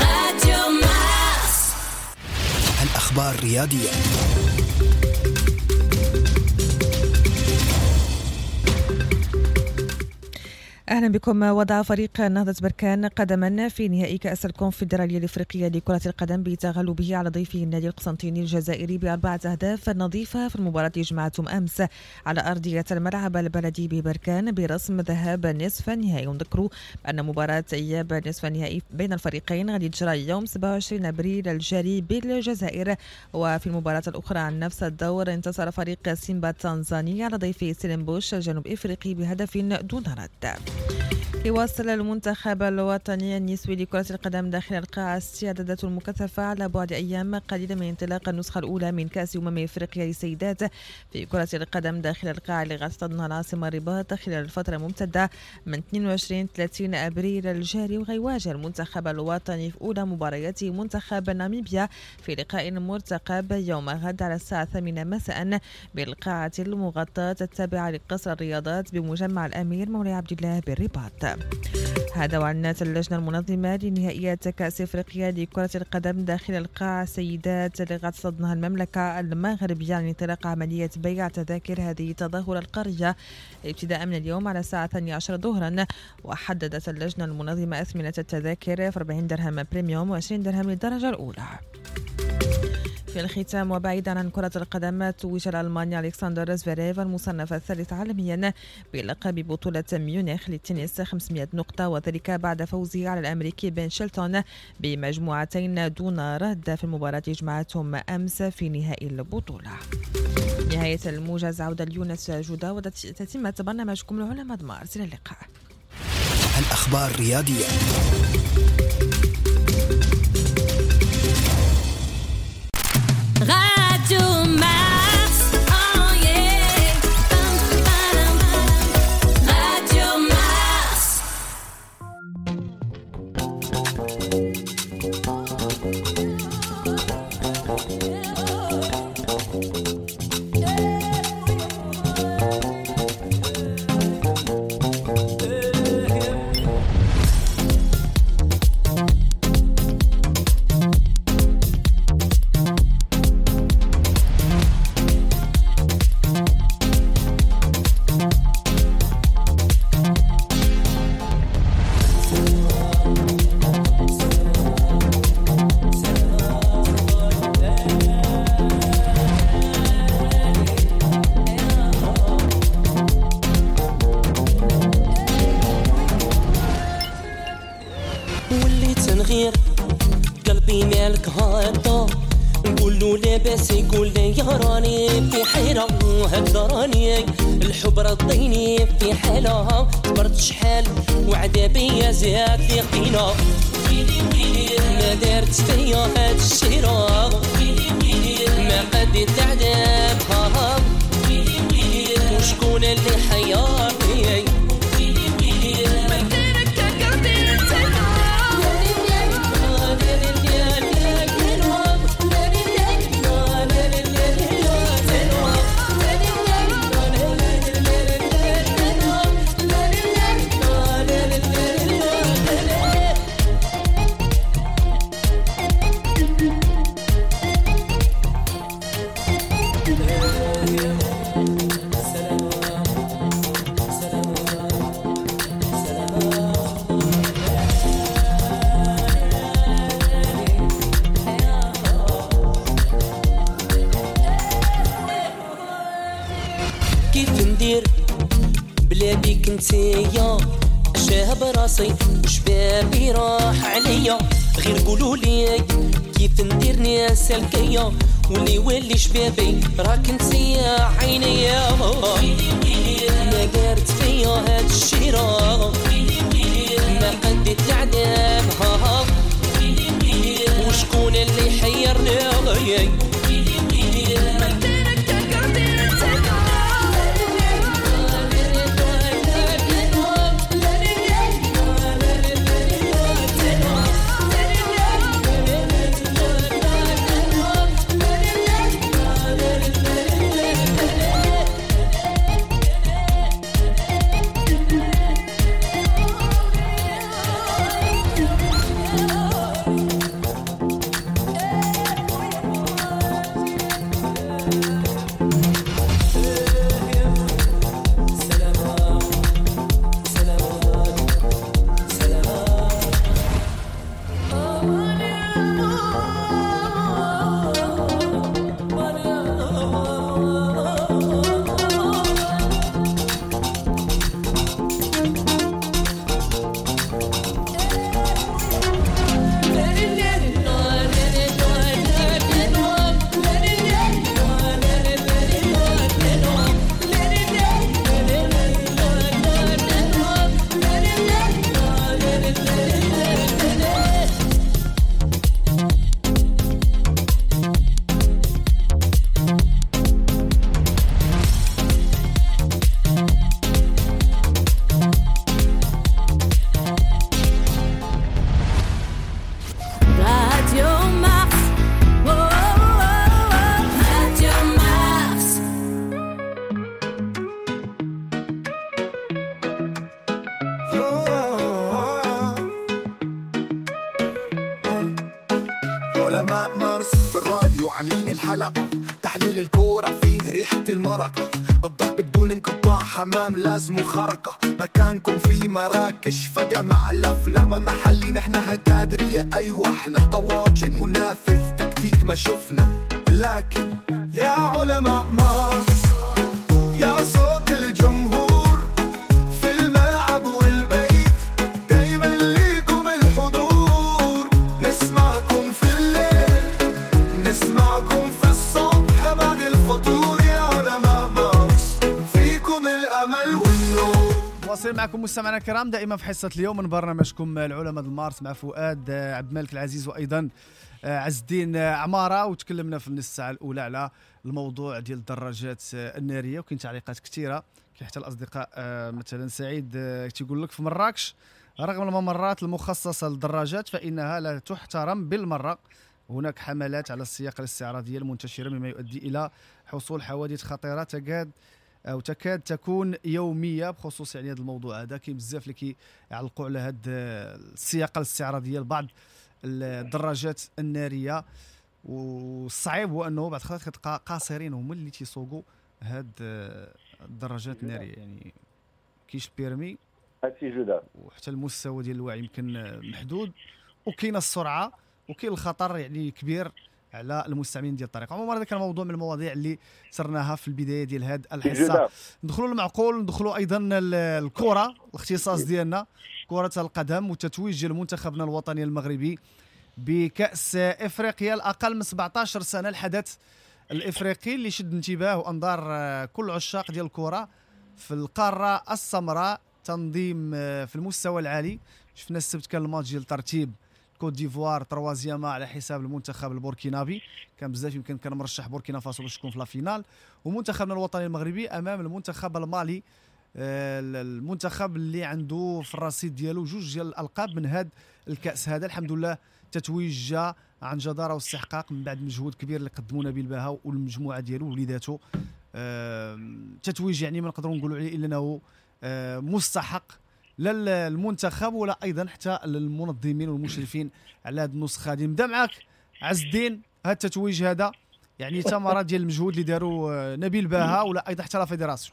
راديو مارس. الأخبار الرياضية. أهلا بكم. وضع فريق نهضة بركان قدما في نهائي كأس الكونفدرالية الإفريقية لكرة القدم بتغلبه على ضيفه النادي القسنطيني الجزائري بأربعة أهداف نظيفة في المباراة التي جمعتهم أمس على أرضية الملعب البلدي ببركان برسم ذهاب نصف النهائي. ونذكروا أن مباراة إياب نصف النهائي بين الفريقين غادي تجرى يوم سبعة وعشرين أبريل الجاري بالجزائر. وفي المباراة الأخرى عن نفس الدور انتصر فريق سيمبا التنزاني على ضيفه سيلمبوش الجنوب إفريقي بهدف دون رد. يواصل المنتخب الوطني النسوي لكرة القدم داخل القاعة استعداداته المكثفة على بعد أيام قليلة من انطلاق النسخة الأولى من كأس أمم إفريقيا للسيدات في كرة القدم داخل القاعة اللي غتحتضنها العاصمة الرباط خلال الفترة الممتدة من اثنين وعشرين ثلاثين أبريل الجاري. وغيواجه المنتخب الوطني في أولى مبارياته منتخب ناميبيا في لقاء مرتقب يوم غد على الساعة الثامنة مساء بالقاعة المغطاة التابعة لقصر الرياضات بمجمع الأمير مولاي عبد الله بالرباط. هذا وأعلنت اللجنة المنظمة لنهائيات كأس إفريقيا لكرة القدم داخل القاعة سيدات اللي غتصدنها المملكة المغربية عن انطلاق عملية بيع تذاكر هذه التظاهرة القارية ابتداء من اليوم على الساعة الثانية عشر ظهرا. وحددت اللجنة المنظمة أثمنة التذاكر في أربعين درهم premium وعشرين درهم للدرجة الأولى. في الختام وبعيدا عن كرة القدم، توج الألماني ألكسندر زفيريف المصنف الثالث عالميا بلقب بطولة ميونخ للتنس خمسمائة نقطة، وذلك بعد فوزه على الأمريكي بن شيلتون بمجموعتين دون رد في المباراة جمعتهم أمس في نهائي البطولة. نهاية الموجز، عودة ليونس جودة وتتمة برنامجكم العلماء مارس. إلى اللقاء. الأخبار الرياضية. Radio Mars, oh yeah. Radio Mars. Yeah. الحلقة، تحليل الكورة فيه ريحة المرقة، الضرب بدون انقطاع، حمام لازم خرقة، مكانكم في مراكش فجمع الأفلام محلي، نحن هتادرية أيوة احنا طواجن منافذ تكتيك ما شفنا، لكن يا علماء مارس يا صوت الجمهور في الملعب والبيت، دايما ليكم الحضور، نسمعكم في الليل نسمعكم في الصبح بعد الفطور، يا علماء مارس فيكم الأمل والنور. واصل معكم مستمعينا الكرام دائما في حصة اليوم من برنامجكم العلماء المارس مع فؤاد عبد الملك العزيز وأيضا عز الدين عمارة. وتكلمنا في النص ساعة الأولى على الموضوع ديال الدراجات النارية، وكاين تعليقات كثيرة، كاين حتى الأصدقاء مثلا سعيد تيقول لك في مراكش رغم الممرات المخصصة للدراجات فإنها لا تحترم بالمرة، هناك حملات على السياقة الاستعراضية المنتشرة مما يؤدي إلى حصول حوادث خطيرة تكاد أو تكاد تكون يومية. بخصوص يعني هذا الموضوع هذا كاين بزاف اللي كيعلقوا على هذه السياقة الاستعراضية لبعض الدراجات النارية، والصعيب هو انه بعض الخطرات كتلقى قاصرين هما اللي تيسوقوا هاد الدراجات النارية، يعني كاينش permis هادشي جوده، وحتى المستوى ديال الوعي يمكن محدود، وكاينه السرعة وكاين الخطر يعني كبير على المستعملين ديال الطريق. عموما هذا كان موضوع من المواضيع اللي سرناها في البداية ديال هذه الحصة. ندخلوا المعقول، ندخلوا ايضا الكره، الاختصاص ديالنا كره القدم وتتويج ديال منتخبنا الوطني المغربي بكأس افريقيا الاقل من سبعطاش سنة، الحدث الافريقي اللي شد انتباه وانظار كل عشاق ديال الكره في القارة السمراء، تنظيم في المستوى العالي. شفنا السبت كان الماتش ديال ترتيب كوت ديفوار troisième على حساب المنتخب البوركينابي، كان بزاف يمكن كان مرشح بوركينا فاسو باش تكون في la finale، ومنتخبنا الوطني المغربي امام المنتخب المالي، المنتخب اللي عنده في الرصيد ديالو جوج ديال الالقاب من هذا الكاس هذا. الحمد لله تتويج جا عن جداره واستحقاق من بعد مجهود كبير اللي قدموا نبيل باها والمجموعة ديالو ووليداتو. تتويج يعني ما نقدروا نقولوا عليه الا انه مستحق لا المنتخب ولا ايضا حتى المنظمين والمشرفين على هذه النسخة هذه. نبدا معاك عز الدين، هذا التتويج هذا يعني ثمره ديال المجهود اللي داروا نبيل باها ولا ايضا حتى la fédération.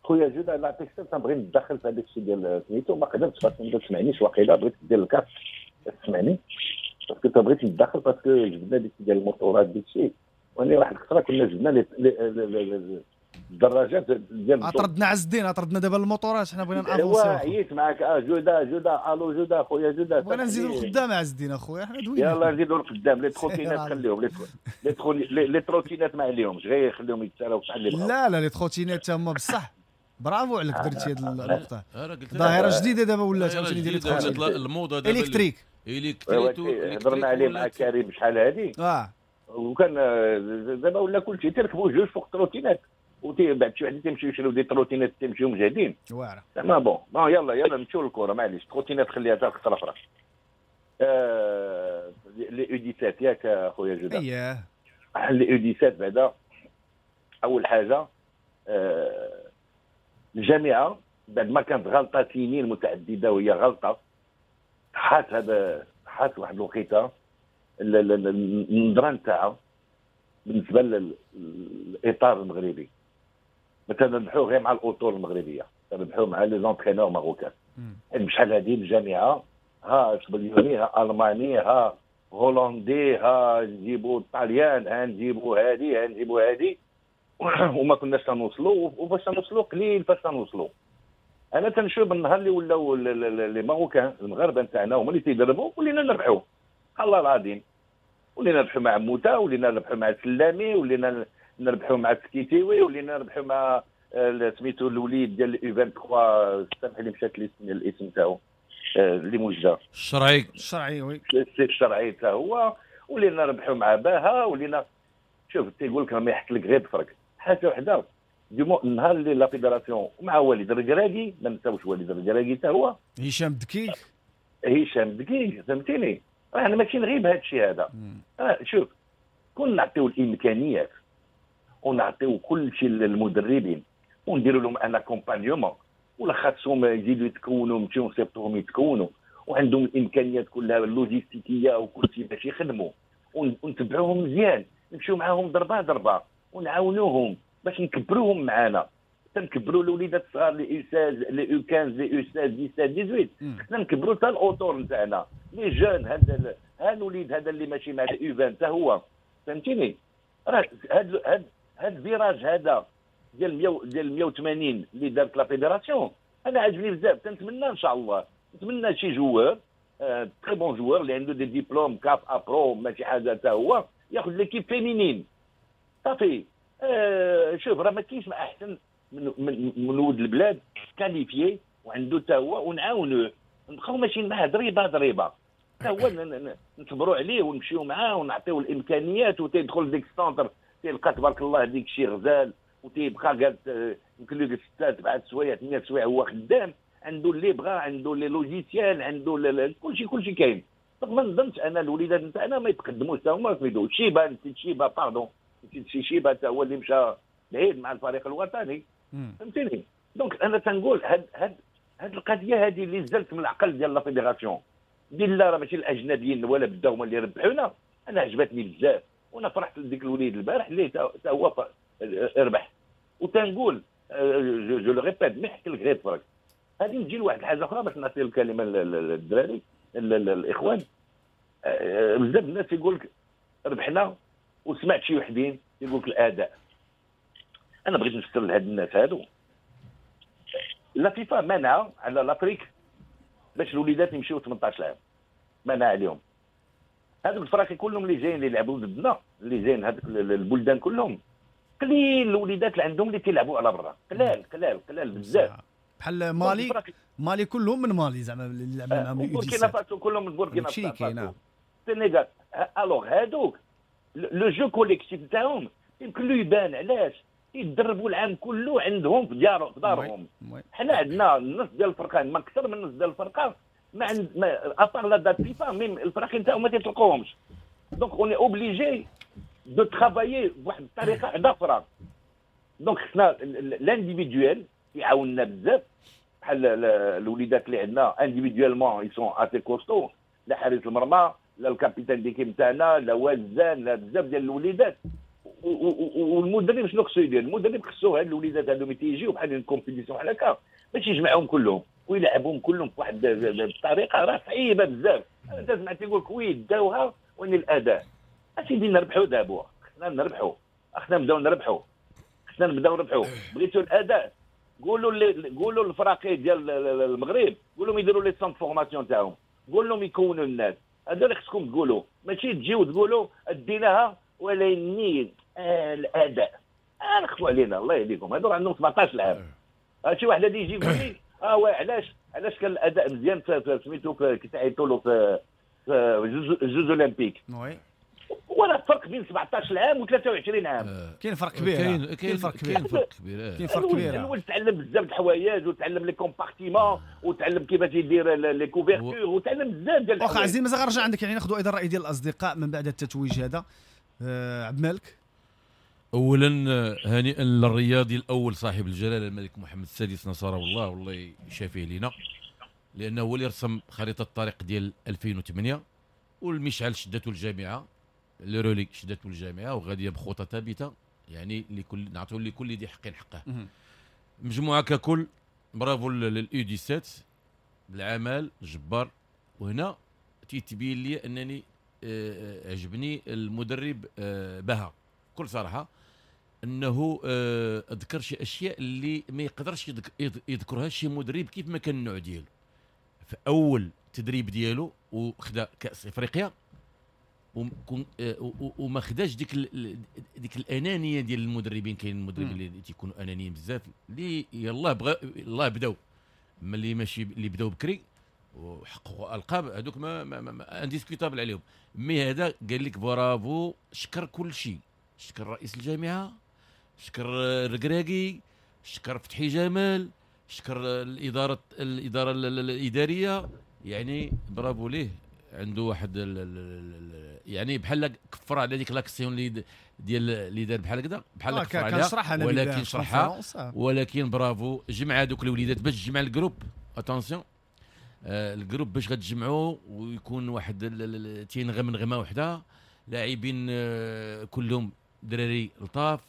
خويا جود انا نعطيك السبب تنبغي نتدخل في هذاك الشيء ديال سميتو، ما قدرتش parce que ما تسمعنيش واقيلا، بغيت دير ال casque تسمعني parce que بغيت نتدخل parce que جبنا ديك ديال الموتورات ديك الشيء، وانا واحد الخطرة كنا جبنا les الدراجات ديال اطردنا عز الدين، اطردنا دابا الموتورات، حنا بغينا نافونسيو. عييت معاك اه جوده جوده الو جوده خويا جوده، بغينا نزيدو القدام عز الدين اخويا، حنا دوينا يلاه نزيدو القدام. les trottinettes خليهم، les les trottinettes ما عليهمش، غير خليهم يتسالاو بحال اللي بغاو. لا لا les trottinettes تما بصح برافو عليك درتي هذه النقطة، ظاهره جديدة دابا ولات عاوتاني ديال les trottinettes الموضة دابا électriques électriques. هضرنا عليه مع كريم شحال هذه اه وكان دابا ولا كلشي تركبوا جوج فوق trottinette، وتي بعد شي وحدين تيمشيو يشريو des trottinettes تيمشيو مجهدين واعرة زعما. bon bon يلا يلا نمشيو للكرة معليش، trottinette خليها حتى الخطرة اخرى. آه les U dix-sept ياك خويا جوده؟ اييه les U dix-sept بعدا اول حاجة آه الجامعة بعد ما كانت غلطه سنين متعددة وهي غلطه حات هذا حات واحد الوقيته النظرة نتاعها بالنسبة للاطار المغربي، ما تنربحو غير مع الاطر المغربية، تنربحو مع les entraîneurs marocains. بشحال هذه الجامعة ها اسبانيولي ها الماني ها هولندي ها نجيبو الطاليان ها نجيبو هادي ها نجيبو هادي، وما كناش تنوصلوا، وفاش تنوصلوا قليل فاش تنوصلوا. انا تنشوف النهار اللي ولاو les Marocains المغاربة نتاعنا هما اللي تيدربوا ولينا نربحوا الله العظيم، ولينا نربحوا مع موتا، ولينا نربحوا مع السلامي، ولينا نربحوا مع السكيتيوي، ولينا نربحوا مع سميتو الوليد ديال U ثلاثة وعشرين، سامح لي مشات لي الاسم تاعو اللي موجه الشرعي الشرعي oui الشرعي تا هو، ولينا نربحوا مع باها، ولينا شوف تيقول لك ما يحك لك غير بفرق حاجة وحده. du النهار اللي la fédération مع وليد الركراكي، ما نساوش وليد الركراكي تا هو هشام دكيك هشام دكيك فهمتيني، راه حنا ماشي نغيب هذا الشيء هذا. آه شوف كون نعطيو الامكانيات ونعطيو كل شيء للمدربين ونديروا لهم un accompagnement، ولا خاصهم يزيدوا يتكونوا نمشيو نصيفطوهم يتكونوا وعندهم الامكانيات كلها اللوجيستيكيه وكل شيء باش يخدموا ونتبعوهم مزيان. نمشيو معاهم ضربه ضربه ونعاونوهم باش نكبروهم معانا. تنكبروا الوليدات الصغار les U seize les U quinze les U seize dix-sept dix-huit، خصنا نكبروا حتى الاطور نتاعنا les jeunes. هذا هذا الوليد هذا اللي ماشي مع U vingt حتى هو، فهمتيني؟ راه هذا هذا هذا ال virage هذا ديال مية ديال مية وثمانين اللي دارت la fédération انا عجبني بزاف. تنتمنى ان شاء الله، نتمنى شي joueur très bon joueur اللي عنده des diplômes CAF A pro ماشي حاجة حتى هو ياخذ l'équipe féminine صافي. آه شوف راه ما كاينش ما احسن من من من ولد البلاد qualifié وعنده حتى هو، ونعاونوه نبقاو ماشيين معاه ضريبة ضريبة حتى هو نصبروا عليه ونمشيو معاه ونعطيو الامكانيات. وتيدخل ديك ال centre تيلقى تبارك الله ديك الشيء غزال، وتيبقى قالت يمكن له ستة سبعة سوايع ثمانية سوايع هو خدام، عنده اللي بغى، عنده les logiciels، عنده كلشي كلشي كاين. ما نظنش انا الوليدات نتاعنا ما يتقدموش حتى هما سميتو شيبا، نسيت شيبا pardon، نسيت شي شيبا حتى هو اللي مشى بعيد مع الفريق الوطني، فهمتيني؟ donc انا تنقول هاد هاد هاد القضية هذه اللي زلت من العقل ديال la fédération ديال لا راه ماشي الاجنبيين ولا بداو هما اللي ربحونا. انا عجبتني بزاف وانا فرحت لديك الوليد البارح اللي حتى هو ربح. وتنقول je le répète ما نحكي لك غير فرق. غادي نجي لواحد الحاجة اخرى باش نعطي الكلمة للدراري الاخوان. بزاف الناس يقول لك ربحنا، وسمعت شي وحدين يقول لك الاداء. انا بغيت نفسر لهاد الناس هادو la FIFA منع على l'Afrique باش الوليدات يمشيو ثمنطاش عام، منع عليهم. هادوك الفراقي كلهم اللي جايين اللي يلعبوا ضدنا، اللي جايين هادوك البلدان كلهم قليل الوليدات اللي عندهم اللي تيلعبوا على برا، قلال قلال قلال بزاف. بحال مالي، مالي كلهم من مالي زعما اللي لعبنا معاهم بوركينا فاسو كلهم من بوركينا فاسو، السنغال. alors هادوك le jeu collectif تاعهم يمكن له يبان. علاش؟ يتدربوا العام كله عندهم في ديارهم في دارهم. حنا عندنا النص ديال الفرقان، ما اكثر من النص ديال الفرقان ما عند ما à part la date FIFA même الفراقين تاعهم ما تيطلقوهمش. donc on est obligé de travailler بواحد الطريقة واحدة اخرى. donc خصنا l'individuel يعاوننا بزاف، بحال الوليدات اللي عندنا individuellement ils sont assez costauds، لا حارس المرمى لا ال capitaine d'équipe تاعنا لا وزان لا بزاف ديال الوليدات. والمدرب شنو خصو يدير؟ المدرب خصو هاد الوليدات هادو ملي تيجيو بحال ال compétition بحال هكا باش يجمعهم كلهم ويلعبهم كلهم بواحد الطريقة راه صعيبة بزاف. انا تسمع تيقول لك oui داوها وين الاداء. اسيدي نربحوا دابا، خصنا نربحوا، خصنا نبداو نربحوا، خصنا نبداو نربحوا. بغيتوا الاداء قولوا اللي قولوا الفراقي ديال المغرب قولوا لهم يديروا les centres formation تاعهم، قول لهم يكونوا الناس. هذا اللي خصكم تقولوا، ماشي تجيو تقولوا ديناها ولكن آه الاداء. آه نخفوا علينا الله يهديكم، هذو عندهم سبعطاش عام. شي واحد غادي يجي يقول لي اه علاش علاش كان الاداء مزيان سميتو كيتعيطوا له في Jeux olympiques. oui ولا فرق بين سبعطاش عام و ثلاثة وعشرين عام. كاين فرق كبير، كاين كاين فرق كبير، كاين فرق كبير، كاين فرق كبير. الولد تعلم بزاف د الحوايج وتعلم les compartiments وتعلم كيفاش يدير les couvertures وتعلم بزاف ديال الحوايج. واخا عزيز مازال غنرجع عندك، يعني ناخذوا ايضا الراي ديال الاصدقاء من بعد التتويج هذا. آه عبد الملك، اولا هنيئا للرياضي الاول صاحب الجلاله الملك محمد السادس نصره الله والله يشافيه لينا، لانه هو اللي رسم خريطة الطريق ديال ألفين وثمانية، والمشعل شدته الجامعة، le relais شدته الجامعة وغاديه بخطى ثابتة، يعني لكل نعطيو لكل ذي حق حقه. مجموعة ككل برافو لل U dix-sept بالعمل الجبار. وهنا تيتبين لي انني عجبني المدرب بها بكل صراحة، انه ذكر شي اشياء اللي ما يقدرش يذكرها شي مدرب كيف ما كان النوع ديالو. في اول تدريب ديالو وخدا كاس افريقيا وما خداش ديك ديك الانانية ديال المدربين. كاين المدربين اللي تيكونوا انانيين بزاف، اللي يلاه بغا يلاه بداو، ملي ماشي اللي بداو بكري وحققوا القاب هذوك ما, ما, ما indiscutable عليهم. mais هذا قال لك برافو، شكر كل شيء، شكر رئيس الجامعة، شكر الركراكي، شكر فتحي جمال، شكر الادارة الادارة الادارية، يعني برافو ليه. عنده واحد ال ال يعني بحال كفر على ديك l'action اللي ديال اللي دار بحال هكذا، بحال كفر عليها، ولكن شرحها، ولكن برافو جمع هذوك الوليدات باش تجمع ال groupe. attention آه ال groupe باش غتجمعوا ويكون واحد تينغم نغمة وحده، لاعبين كلهم دراري لطاف،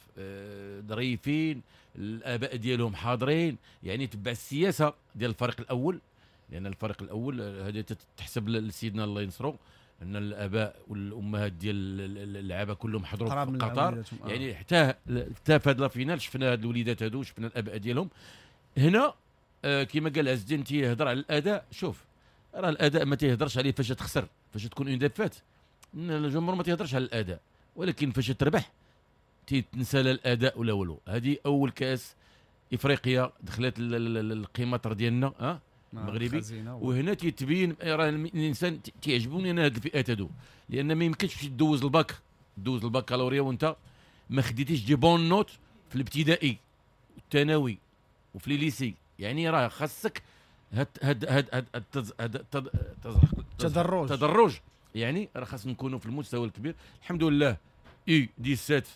ظريفين، الاباء ديالهم حاضرين، يعني تبع السياسة ديال الفريق الاول، لان الفريق الاول هذه تحسب لسيدنا الله ينصرو ان الاباء والامهات ديال اللعابه كلهم حضروا في قطر، يعني حتى حتى في هذا la finale شفنا هاد الوليدات هادو، شفنا الاباء ديالهم هنا. آه كما قال عز الدين تيهضر على الاداء، شوف راه الاداء ما تيهضرش عليه فاش تخسر، فاش تكون une défaite الجمهور ما تيهضرش على الاداء، ولكن فاش تربح تيتنسى لا الاداء ولا والو. هذه اول كاس افريقيا دخلت القيمة ديالنا ها المغربي، وهنا تيتبين راه الانسان تيعجبوني انا هاد الفئات هادو، لان ما يمكنش تمشي دوز الباك دوز الباكالوريا وانت ما خديتيش des bonnes notes في الابتدائي والثانوي وفي les lycées، يعني راه خاصك هاد هاد هاد هاد التدرج تدرج، يعني راه خاص نكونوا في المستوى الكبير. الحمد لله U dix-sept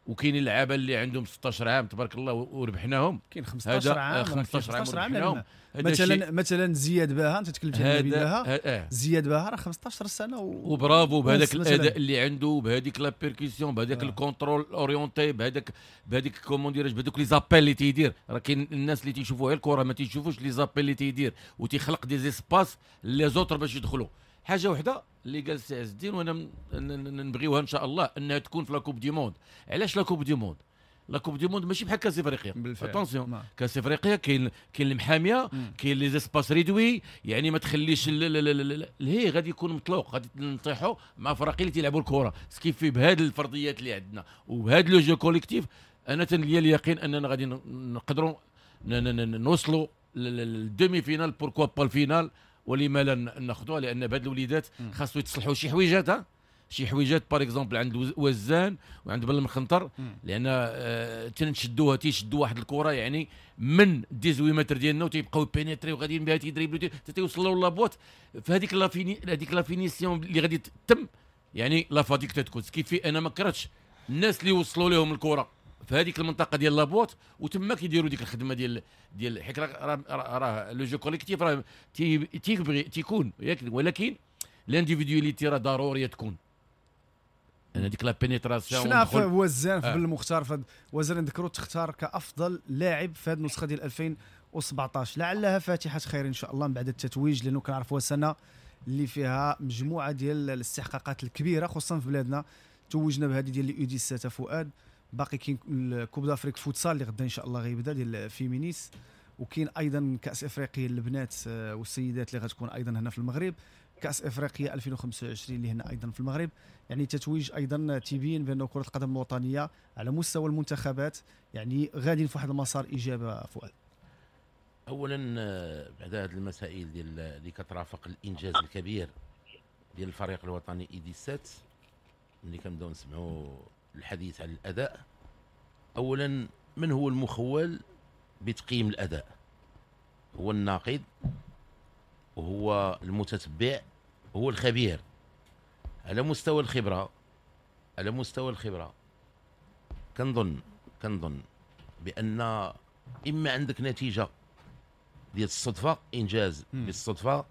وكاين اللعابه اللي عندهم ستة عشر عام تبارك الله وربحناهم، كاين خمسطاش عام خمسطاش عام مثلا مثلا زياد باها، انت تكلمت على نبيل باها، زياد باها راه خمسطاش سنة و... وبرافو بهذاك الاداء اللي عنده، بهذيك la percussion، بهذاك آه. ال contrôle orienté، بهذاك بهذيك comment dirais-je، بهذوك les appels اللي تيدير. راه كاين الناس اللي تيشوفوا غير الكره ما تيشوفوش les appels اللي تيدير وتيخلق des espaces les autres باش يدخلوا. حاجة وحده اللي قال سي عز الدين وانا نبغيوها ان شاء الله انها تكون في la Coupe du Monde. علاش la Coupe du Monde؟ la Coupe du Monde ماشي بحال كاس افريقيا، attention، كاس افريقيا كاين كاين المحاميه، كاين les espaces réduits، يعني ما تخليش الهي غادي يكون مطلوق، غادي نطيحوا مع فرق اللي تيلعبوا الكره. ce qui fait بهاد الفرضيات اللي عندنا وبهاد le jeu collectif، انا تنليا اليقين اننا غادي نقدروا نوصلوا لل demi-finale، pourquoi pas ال finale، ولما لا ناخذوها، لان بهاد الوليدات خاصو يتصلحوا شي حويجات، ها شي حويجات par exemple عند وزان وعند بن المخنطر، لان آه تنشدوها تيشدوا واحد الكره يعني من dix-huit متر ديالنا وتيبقاو pénétrer وغاديين بها تيدريبلو تيوصلوا la boîte. فهذيك la fini هذيك la finition اللي غادي تتم يعني la fatigue تتكون. ce qui fait انا ما كرهتش الناس اللي وصلوا لهم الكره في هذيك المنطقة ديال la boîte وتما كيديروا ديك الخدمة ديال ديال حيت راه راه le jeu collectif راه تيبغي تيكون ياك، ولكن l'individualité راه ضرورية تكون. انا ديك la pénétration شفنا في وزان في بالمختار، في وزان نذكروا تختار كافضل لاعب في هذه النسخة ديال ألفين وسبعطاش، لعلها فاتحة خير ان شاء الله من بعد التتويج، لانه كنعرفوا سنة اللي فيها مجموعة ديال الاستحقاقات الكبيرة خصوصا في بلادنا. توجنا بهذه ديال U dix-sept فؤاد، باقي كاين ال Coupe d'Afrique futsal اللي غدا ان شاء الله غيبدا ديال féminines، وكاين ايضا كاس افريقيا للبنات والسيدات اللي غتكون ايضا هنا في المغرب، كاس افريقيا ألفين وخمسة وعشرين اللي هنا ايضا في المغرب. يعني تتويج ايضا تيبين بان كره القدم الوطنية على مستوى المنتخبات يعني غاديين في واحد المسار ايجابي. فؤاد، اولا بعد هذه المسائل ديال اللي كترافق الانجاز الكبير ديال الفريق الوطني U dix-sept، ملي كنبداو نسمعوا الحديث على الاداء، اولا من هو المخول بتقييم الاداء؟ هو الناقد، وهو المتتبع، هو الخبير. على مستوى الخبرة، على مستوى الخبرة كنظن كنظن بان اما عندك نتيجة ديال الصدفة، انجاز بالصدفة،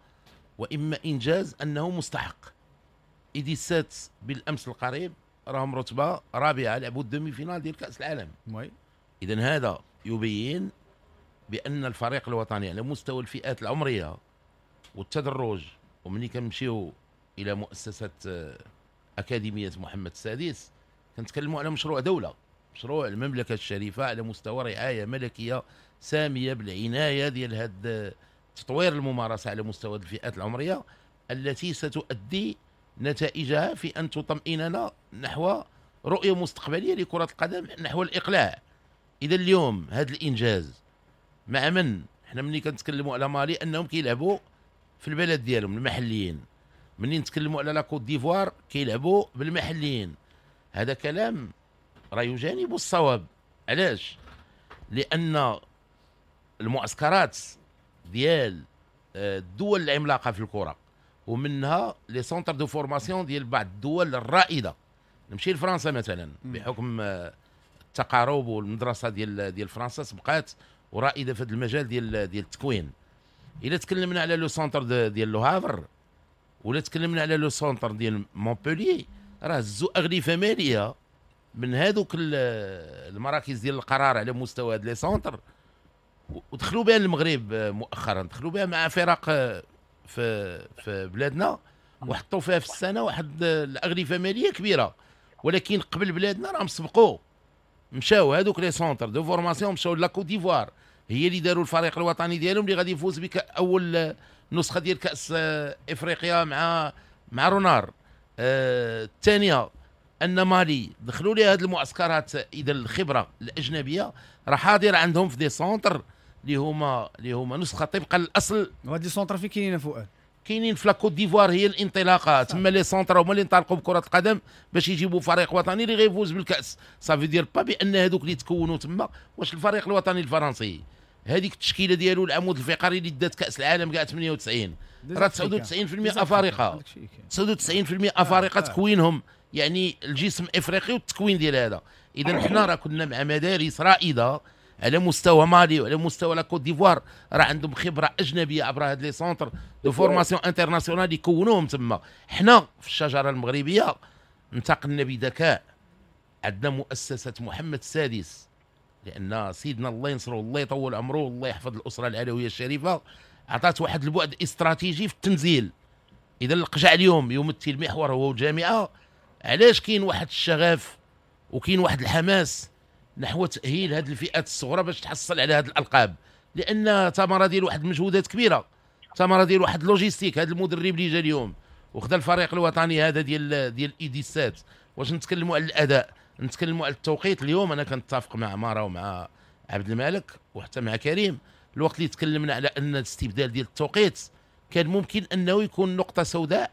واما انجاز انه مستحق. U dix-sept بالامس القريب راهم رتبه رابعه، لعبوا ال demi-finale ديال كاس العالم. اذا هذا يبين بان الفريق الوطني على مستوى الفئات العمرية والتدرج، ومني كنمشيو الى مؤسسة اكاديمية محمد السادس كنتكلموا على مشروع دولة، مشروع المملكة الشريفة على مستوى رعاية ملكية سامية بالعناية ديال هذا تطوير الممارسة على مستوى الفئات العمرية التي ستؤدي نتائجها في ان تطمئننا نحو رؤية مستقبلية لكرة القدم، نحو الاقلاع. اذا اليوم هذا الانجاز مع من؟ حنا ملي كنتكلموا على مالي انهم كيلعبوا في البلد ديالهم المحليين، ملي نتكلموا على la Côte d'Ivoire كيلعبوا بالمحليين. هذا كلام راه يجانب الصواب. علاش؟ لان المعسكرات ديال الدول العملاقة في الكره ومنها les centres de formation ديال بعض الدول الرائدة، نمشي لفرنسا مثلا بحكم التقارب والمدرسة ديال ديال فرنسا سبقات ورائدة في هذا المجال ديال ديال التكوين. الا تكلمنا على le centre ديال Le Havre ولا تكلمنا على le centre ديال مونبوليي، راه هزوا اغلفه ماليه من هذوك المراكز ديال القرار على مستوى هاد les centres ودخلوا بها المغرب مؤخرا، دخلوا بها مع فرق في في بلادنا وحطوا فيها في السنة واحد الاغلفه ماليه كبيرة. ولكن قبل بلادنا راهم سبقوا، مشاو هذوك les centres de formation مشاو la Côte d'Ivoire، هي اللي داروا الفريق الوطني ديالهم اللي غادي يفوز بك اول نسخه ديال كاس افريقيا مع مع رونار. الثانية ان مالي دخلوا لها هذه المعسكرات، اذا الخبرة الاجنبية راه حاضره عندهم في des centres اللي هما اللي هما نسخه طبقا للاصل. وهاد les centres فين كاينين فؤاد؟ كاينين في la Côte d'Ivoire هي الانطلاقة تما، les centres هما اللي انطلقوا بكره القدم باش يجيبوا فريق وطني اللي غيفوز بالكاس. ça veut dire pas بان هذوك اللي تكونوا تما، واش الفريق الوطني الفرنسي هذيك التشكيلة ديالو العمود الفقري اللي دات كاس العالم كاع ثمانية وتسعين راه تسعة وتسعين بالمئة افارقه، تسعة وتسعين بالمئة افارقه تكوينهم يعني الجسم افريقي والتكوين ديال هذا. اذا حنا راه كنا مع مدارس رائدة على مستوى مالي وعلى مستوى la Côte d'Ivoire، راه عندهم خبره اجنبية عبر هاد les centres de formation internationale يكونوهم تما. حنا في الشجرة المغربية انتقلنا بذكاء، عندنا مؤسسة محمد السادس، لان سيدنا الله ينصره الله يطول عمره والله يحفظ الاسرة العلوية الشريفة، عطات واحد البعد استراتيجي في التنزيل. اذا القجع اليوم يمثل محور هو الجامعة. علاش كاين واحد الشغف وكاين واحد الحماس نحو تاهيل هذه الفئات الصغرى باش تحصل على هذه الالقاب؟ لان ثمره ديال واحد المجهودات كبيرة، ثمره ديال واحد logistique. هذا المدرب اللي جا اليوم وخدا الفريق الوطني هذا ديال ديال U dix-sept، واش نتكلموا على الاداء، نتكلموا على التوقيت. اليوم انا كنتفق مع عمارة ومع عبد الملك وحتى مع كريم، الوقت اللي تكلمنا على ان الاستبدال ديال التوقيت كان ممكن انه يكون نقطة سوداء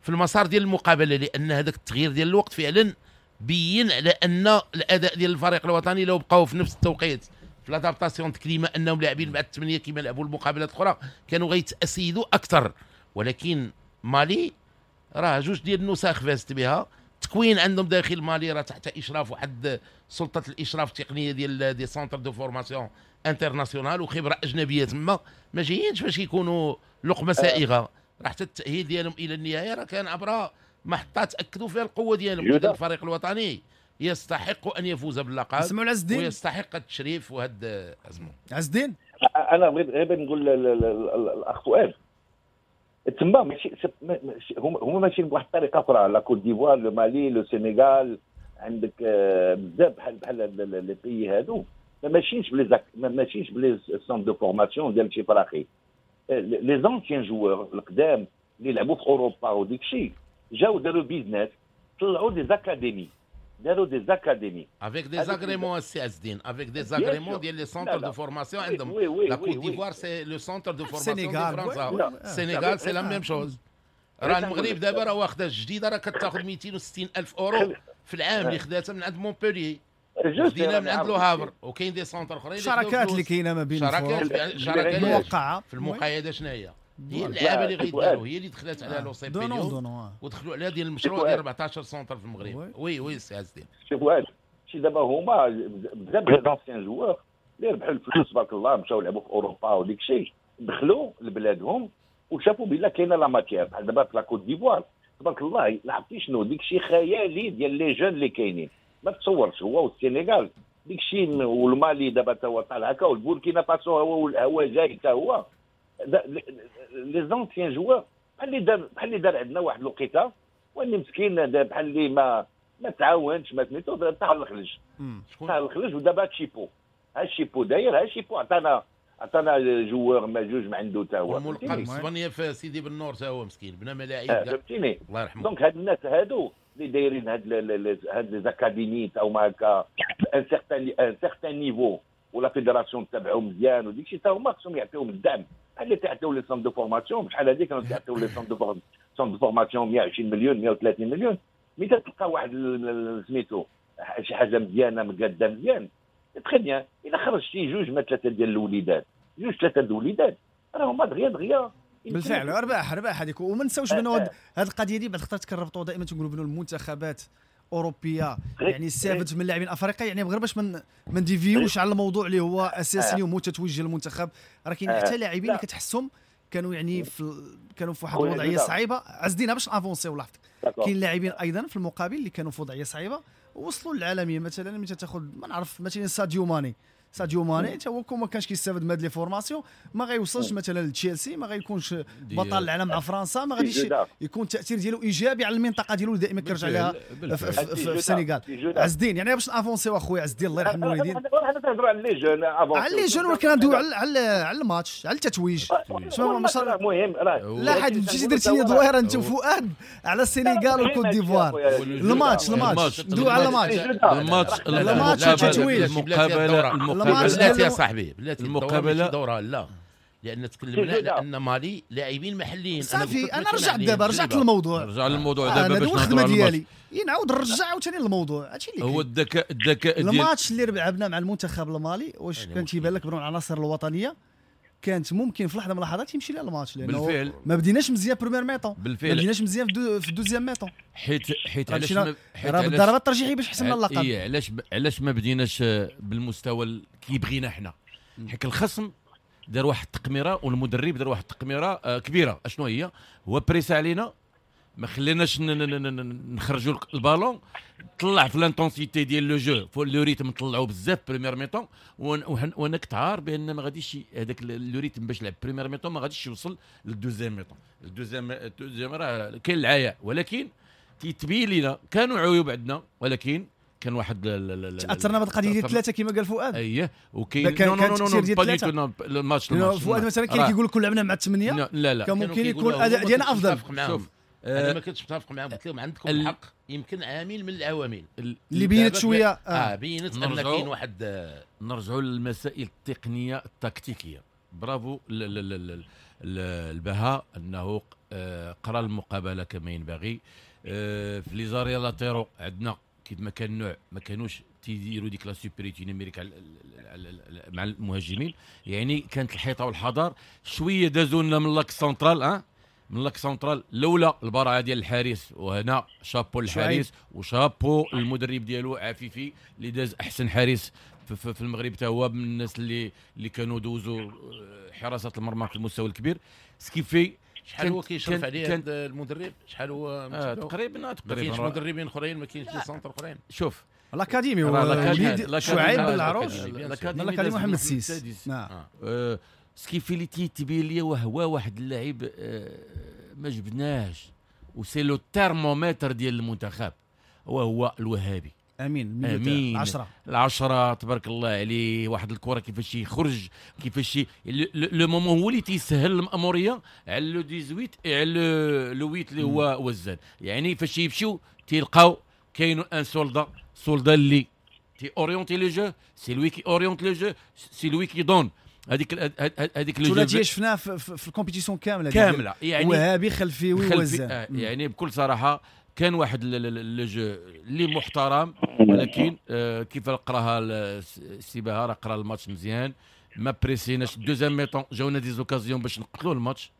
في المسار ديال المقابلة، لان هذاك التغيير ديال الوقت فعلا بين على ان الاداء ديال الفريق الوطني لو بقاو في نفس التوقيت في l'adaptation climat انهم لاعبين بعد الثمانية كما لعبوا المقابلات الاخرى كانوا غيتاسيدوا اكثر. ولكن مالي راه جوج ديال النسخ فازت بها، تكوين عندهم داخل مالي راه تحت اشراف واحد سلطة الاشراف التقنية ديال des centres de formation internationale وخبره اجنبية تما، ما جايينش باش يكونوا لقمة سائغة. راه حتى التاهيل ديالهم الى النهاية راه كان عبر محطات اكدوا فيها القوة ديالهم. الفريق الوطني يستحق ان يفوز باللقب ويستحق التشريف وهاد ازمة. عز الدين، انا بغيت غير نقول الاخ فؤاد تما ماشي هما ماشيين بواحد الطريقة اخرى. la Côte d'Ivoire، le Mali، le Sénégal، عندك بزاف بحال بحال les pays هادو ما ماشيينش ب les ما ماشيينش ب les centres de formation ديال شي فراقي. les anciens joueurs القدام اللي لعبوا في اوروبا وديك الشيء جاو داروا business، طلعوا des académies، داروا des académies avec des agréments السي عز الدين، avec des agréments ديال les centres de formation عندهم. la Côte d'Ivoire c'est le centre de formation ديال فرنسا، السينيغال c'est la même chose. راه المغرب دابا راه واخده الجديدة راه كتاخذ مئتين وستين الف اورو في العام اللي خداتها من عند مونبوليي، خدينا من عند Le Havre، وكاين des centres اخرين. الشراكات اللي كاينه ما بين شراكات شراكات موقعه في المقايده شنو هي؟ هي اللعابه اللي غيداروا، هي اللي دخلت على l'OCP اليوم ودخلوا على ديال المشروع ديال أربعطاش centre في المغرب. oui oui سي عز الدين، شوف واحد شي دابا هما بزاف ديال anciens joueurs اللي ربحوا الفلوس تبارك الله، مشاو لعبوا في اوروبا وديك الشيء، دخلوا لبلادهم وشافوا بلا كاينه la matière. بحال دابا في la Côte d'Ivoire تبارك الله لعبتي شنو ديك الشيء خيالي ديال les jeunes اللي كاينين ما تصورش. هو والسينغال ديك الشيء، والمالي دابا تا هو طالع هكا، والبوركينا فاسو هو هو جاي تا هو. les anciens joueurs بحال اللي دار بحال اللي دار عندنا واحد الوقيته واللي مسكين بحال اللي ما ما تعاونش ما سميتو طاح الخلج، طاح الخلج. ودابا تشيبو، ها شيبو داير، ها شيبو عطانا عطانا joueur ما جوج ما عنده تا هو. والملقب اسبانيا في سيدي بنور تا هو مسكين بنا ملاعب، فهمتيني؟ الله يرحمه. donc هاد الناس هادو اللي دايرين هاد هاد les académies تا هما هكا un certain un certain niveau و la fédération تبعهم مزيان وديك الشيء، تا هما خصهم يعطيهم الدعم بحال اللي تعطيو les centres de formation. بحال هذيك كانوا تعطيو les centres de centres de formation مية وعشرين مليون مية وثلاثين مليون، mais تلقى واحد سميتو شي حاجة مزيانه مقاده مزيان très bien. الا خرجتي جوج ما ثلاثة ديال الوليدات، جوج ثلاثة ديال الوليدات راه هما دغيا دغيا بالفعل ارباح رباح هذيك. وما نساوش بانه هذه القضية دي بعد خطرات كنربطوا دائما تنقولوا بانه المنتخبات اوروبية يعني استافدت من اللاعبين افريقيا، يعني غير باش من ما نديفيوش على الموضوع اللي هو اساسي اليوم هو تتويج المنتخب. راه كاين حتى لاعبين اللي كتحسهم كانوا يعني في كانوا في واحد الوضعية صعيبة. عز الدين باش avancer ولاحظت كاين لاعبين ايضا في المقابل اللي كانوا في وضعية صعيبة وصلوا للعالمية. مثلا ملي تاخذ ما نعرف مثلا ساديو ماني، ساديو ماني حتى هو كون ما كانش كيستافد من هاد les formations ما غيوصلش مثلا لتشيلسي، ما غيكونش بطل العالم مع فرنسا، ما غاديش يكون التاثير ديالو ايجابي على المنطقة ديالو اللي دائما كيرجع لها في السنغال. عز الدين يعني باش avancer اخويا عز الدين الله يرحم الوالدين، حنا تنهضروا على les jeunes على les jeunes، ولكن ندويو على على الماتش على التتويج. المهم لا حد مشيتي درتي لي دويره انت وفؤاد على السنغال والكوت ديفوار. الماتش الماتش ندويو على الماتش الماتش الماتش التتويج المقابلة بلاتي يا صاحبي، بلاتي المقابلة دوره لا، لان تكلمنا على ان مالي لاعبين محليين. صافي انا رجعت دابا، رجعت للموضوع، رجع للموضوع دابا باش نهضروا على ديالي، نعاود نرجع عاوتاني للموضوع. هادشي اللي هو الذكاء الذكاء ديال الماتش اللي لعبنا مع المنتخب المالي. واش كان تيبان لك بان العناصر الوطنية كانت ممكن في لحظة من اللحظات يمشي لها الماتش، لانه بالفعل ما بديناش مزيان première mi-temps، ما بديناش مزيان في deuxième mi-temps، حيت حيت علاش راه بالضربات الترجيحيه باش حسمنا اللقب. اي علاش علاش ما بديناش بالمستوى اللي كيبغينا حنا؟ حيت الخصم دار واحد التقميره والمدرب دار واحد التقميره كبيرة. اشنو هي؟ هو pressa علينا، ما خليناش نخرجوا البالون، طلع في l'intensité ديال le jeu فوق le rythme، طلعوا بزاف première mi-temps، وانا كنت عارف بان ما غاديش هذاك le rythme باش لعب première mi-temps ما غاديش يوصل لل deuxième mi-temps. ال deuxième ال deuxième راه كاين العياء، ولكن تيتبين لنا كانوا عيوب عندنا، ولكن كان واحد تاثرنا بهذه القضية ديال ثلاثة كما قال فؤاد. اييه وكاين non non non non الماتش الماتش فؤاد مثلا كاين كيقول لك لعبنا مع ثمانية، لا لا كان ممكن يكون الاداء ديالنا افضل. شوف انا ما كنتش متفق معاهم، قلت لهم عندكم الحق، يمكن عامل من العوامل اللي بينت شوية اه, آه بينت ان كاين واحد. نرجعوا للمسائل التقنية التكتيكيه. برافو البهاء انه قرا المقابلة كما ينبغي. في les arrières latéraux عندنا كيف ما كان النوع ما كانوش تيديروا ديك la supériorité numérique مع المهاجمين، يعني كانت الحيطة والحذر شوية. دازوا لنا من l'axe central، اه من l'axe central لولا البراعه ديال الحارس، وهنا شابو الحارس وشابو المدرب ديالو عفيفي اللي داز احسن حارس في, في المغرب، حتى هو من الناس اللي اللي كانوا دوزوا حراسة المرمى في المستوى الكبير. ce qui fait شحال هو كيشرف عليه هذا المدرب؟ شحال هو آه تقريبا تقريبا ما كاينش مدربين اخرين، ما كاينش des centres اخرين. شوف l'académie هو شعيب بالعروش، l'académie محمد السيس. نعم ce qui fait اللي تيتبين لي وهو واحد اللاعب ما جبناهش و c'est le thermomètre ديال المنتخب، وهو الوهابي امين امين العشرة العشرة تبارك الله عليه. واحد الكره كيفاش يخرج، كيفاش le moment هو اللي تيسهل الماموريه على le ثمانية عشر على le ثمانية اللي هو وزان. يعني فاش يمشيو تيلقاو كاين un soldat soldat اللي تي orienter le jeu، c'est lui qui oriente le jeu، c'est lui qui donne هذيك هذيك le jeu شفناه في, في ال compétition كاملة كاملة. يعني وهابي خلفي ووزان. آه يعني بكل صراحة كان واحد le jeu اللي محترم، ولكن آه كيف قراها السي بهاء راه قرا الماتش مزيان، ما بريسيناش. deuxième mi-temps جاونا des occasions باش نقتلوا الماتش،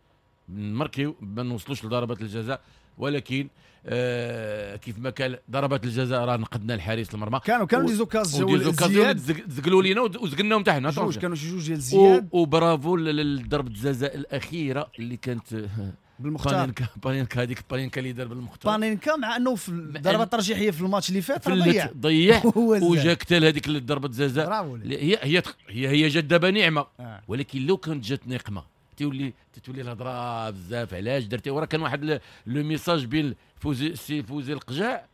نماركيو ما نوصلوش لضربات الجزاء، ولكن آه كيف ما كان ضربات الجزاء راه نقدنا الحارس المرمى. كانوا كانوا des occasions زقلوا لينا وزقلناهم حتى حنا جوج، كانوا شي جوج ديال زياد. وبرافو لضربه الجزاء الاخيرة اللي كانت بالمختار، بانينكا، هذيك بانينكا اللي دار بالمختار بانينكا، مع انه في الضربة الترجيحيه في الماتش اللي فات ضيع ضيع وجا كتال هذيك ضربه الجزاء. هي هي هي هي جات دابا نعمه، آه. ولكن لو كانت جات نقمه تولي تولي الهضرة بزاف. علاش درتي؟ وراه كان واحد le message بين فوزي سي فوزي القجاع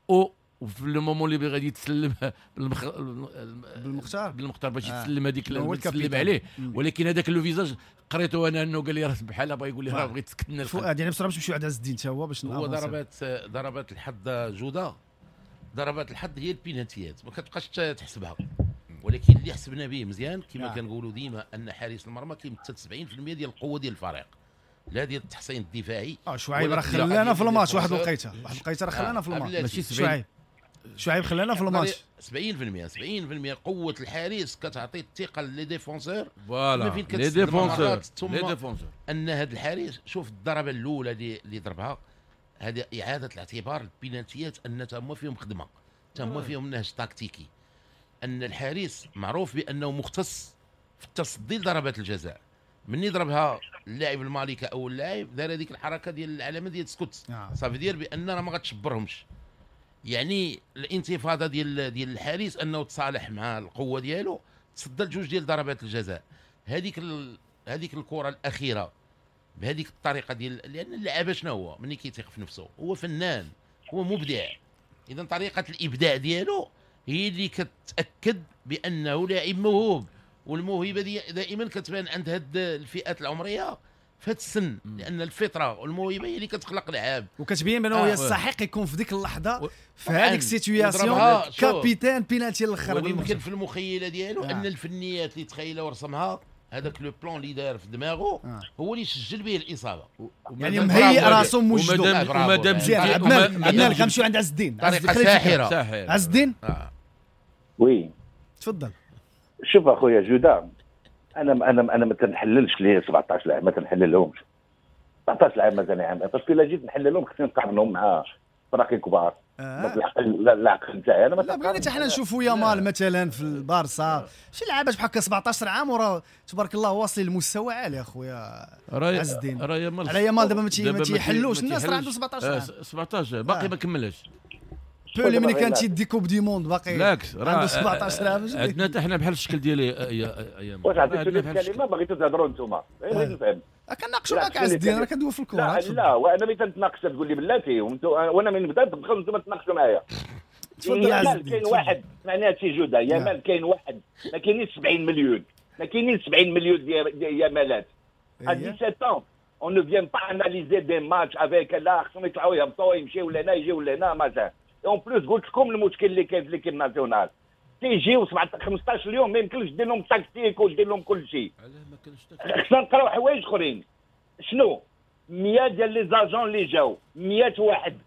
و وفي le moment اللي غادي يتسلم بالمخ... بالمختار بالمختار باش يتسلم هذيك تسلم عليه، ولكن هذاك le visage قريته انا انه قال لي راه بحال بغا يقول لي راه بغيت تسكتنا. فؤاد يعني بسرعة باش نمشيو عند عز الدين حتى هو باش هو ضربات ضربات الحظ جوده، ضربات الحظ هي البينالتيات ما كتبقاش تحسبها، ولكن اللي حسبنا به مزيان كما كنقولوا ديما ان حارس المرمى كيمثل سبعين بالمية ديال القوة ديال الفريق، لا ديال التحصين الدفاعي. اه شعيب راه خلانا في الماتش واحد الوقيته، واحد الوقيته راه خلانا في الماتش، ماشي شعيب شعيب خلانا في الماتش سبعين بالمية سبعين بالمية قوة الحارس كتعطي الثقة les défenseurs، voilà les défenseurs les défenseurs ان هذا الحارس. شوف الضربة الاولى اللي اللي ضربها هذه اعاده الاعتبار البينالتيات ان تما فيهم خدمة، تما فيهم نهج تكتيكي، ان الحارس معروف بانه مختص في التصدي لضربات الجزاء. مني ضربها اللاعب المالي كاول لاعب دار هذيك الحركة ديال العلامة ديال سكوت، صافي ديال بان راه ما غتشبرهمش. يعني الانتفاضة ديال ديال الحارس انه تصالح مع القوة ديالو، تصدى لجوج ديال ضربات الجزاء. هذيك ال... هذيك الكره الاخيرة بهذيك الطريقة ديال، لان اللاعب شنو هو ملي كيثيق في نفسه هو فنان، هو مبدع. اذا طريقه الابداع ديالو هي اللي كتاكد بانه لاعب موهوب، والموهبه دي دائما كتبان عند هاد الفئات العمرية في هاد السن، لان الفطرة والموهبه هي اللي كتخلق لعاب، وكتبين بانه آه. يستحق يكون في ديك اللحظة و... في هذيك ال situation capitaine penalty الاخر. يمكن في المخيله ديالو آه. ان الفنيات اللي تخيلها ورسمها هذاك le plan اللي دار في دماغه آه. هو اللي سجل به الاصابة، يعني مهيئ راسو موجدو. ومادام مزيان عبد الملك غنمشيو عند عز الدين. طريقه ساحرة. عز الدين آه. oui تفضل. شوف اخويا جوده، انا انا انا ما تنحللش لي سبعطاش لاعب، ما تنحللهمش سبعطاش لاعب مثلا عام، parce que الا جيت نحللهم خصني نقارنهم مع فراقي كبار. آه. العقل العقل نتاعي انا ما لا بغينا حتى حنا نشوفوا يامال مثلا في البارسا شي لعابه بحال هكا سبعطاش عام وراه تبارك الله واصلين لمستوى عالي اخويا عز الدين. على يامال دابا ما تيحلوش الناس، راه عنده سبعطاش عام. سبعطاش باقي ما كملش. بولي ملي كان تيدي coupe du monde باقي عنده سبعطاش عام. عندنا حتى حنا بحال الشكل ديال ايام. واش عطيتوني الكلمة بغيتو تهضروا انتوما؟ بغيت نفهم. كنناقشوا معاك عز الدين، راه كندوي في الكره. لا لا وانا ملي تنتناقش تقول لي بلاتي، وانا من نبدا تدخل انتم تناقشوا معايا. تفضل عز الدين. كاين واحد معناها سي جوده يامال، كاين واحد ما كاينينش سبعين مليون، ما كاينينش سبعين مليون ديال يامالات. à dix-sept ans on ne vient pas analyser des matchs avec لا خصهم يطلعوا يهبطوا يمشيو لهنا يجيو لهنا مثلا. en plus قلت لكم المشكل اللي كاين في l'équipe nationale، تيجيو خمسطاش اليوم ما يمكنش دير لهم tactique ودير لهم كل شيء. خصنا نقراو حوايج اخرين. شنو مية ديال les agents اللي جاو، مية واحد،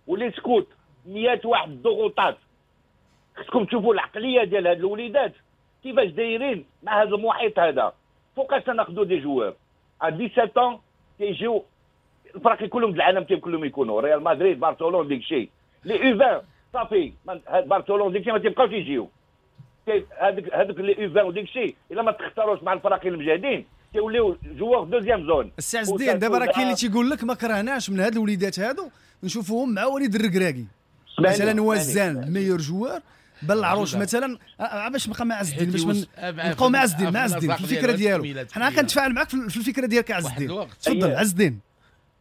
و les scouts مية واحد، الضغوطات. خصكم تشوفوا العقلية ديال هاد الوليدات كيفاش دايرين مع هذا المحيط هذا. فوقاش ناخذوا des joueurs à dix-sept ans تيجيو الفرق كلهم العالم كلهم يكونوا ريال مدريد برشلونة ديك الشيء. les U vingt صافي برشلونة ديك الشيء ما تيبقاوش يجيو. هذوك هذوك les U vingt وديك الشيء الا ما تختاروش مع الفرق المجاهدين تيوليو joueurs deuxième zone. السي عز الدين دابا راه كاين اللي تيقول لك ما كرهناش من هاد الوليدات هادو نشوفوهم مع وليد الركراكي مثلا، وزان meilleur joueur بالعروش مثلا، باش نبقى مع عز الدين، باش نبقاو مع عز الدين مع عز الدين في الفكرة ديالو. حنا كنتفاعل معاك في الفكرة ديالك عز الدين. تفضل عز الدين.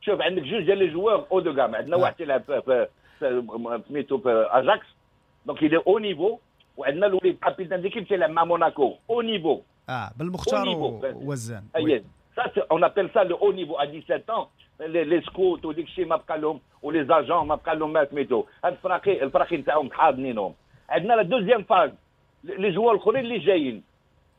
شوف عندك جوج ديال les joueurs haut de gamme. عندنا واحد تيلعب في سميتو في اجاكس donc il est haut niveau، وعندنا الوليد capitaine d'équipe تيلعب مع موناكو haut niveau. اه بالمختار وزان. اي ça on appelle ça le haut niveau à dix-sept ans. les scouts وديك الشيء ما بقى لهم و les agents ما بقى لهم ما سميتو. هاد الفراقي الفراقي نتاعهم حاضنينهم. عندنا la deuxième phase les joueurs الاخرين اللي جايين،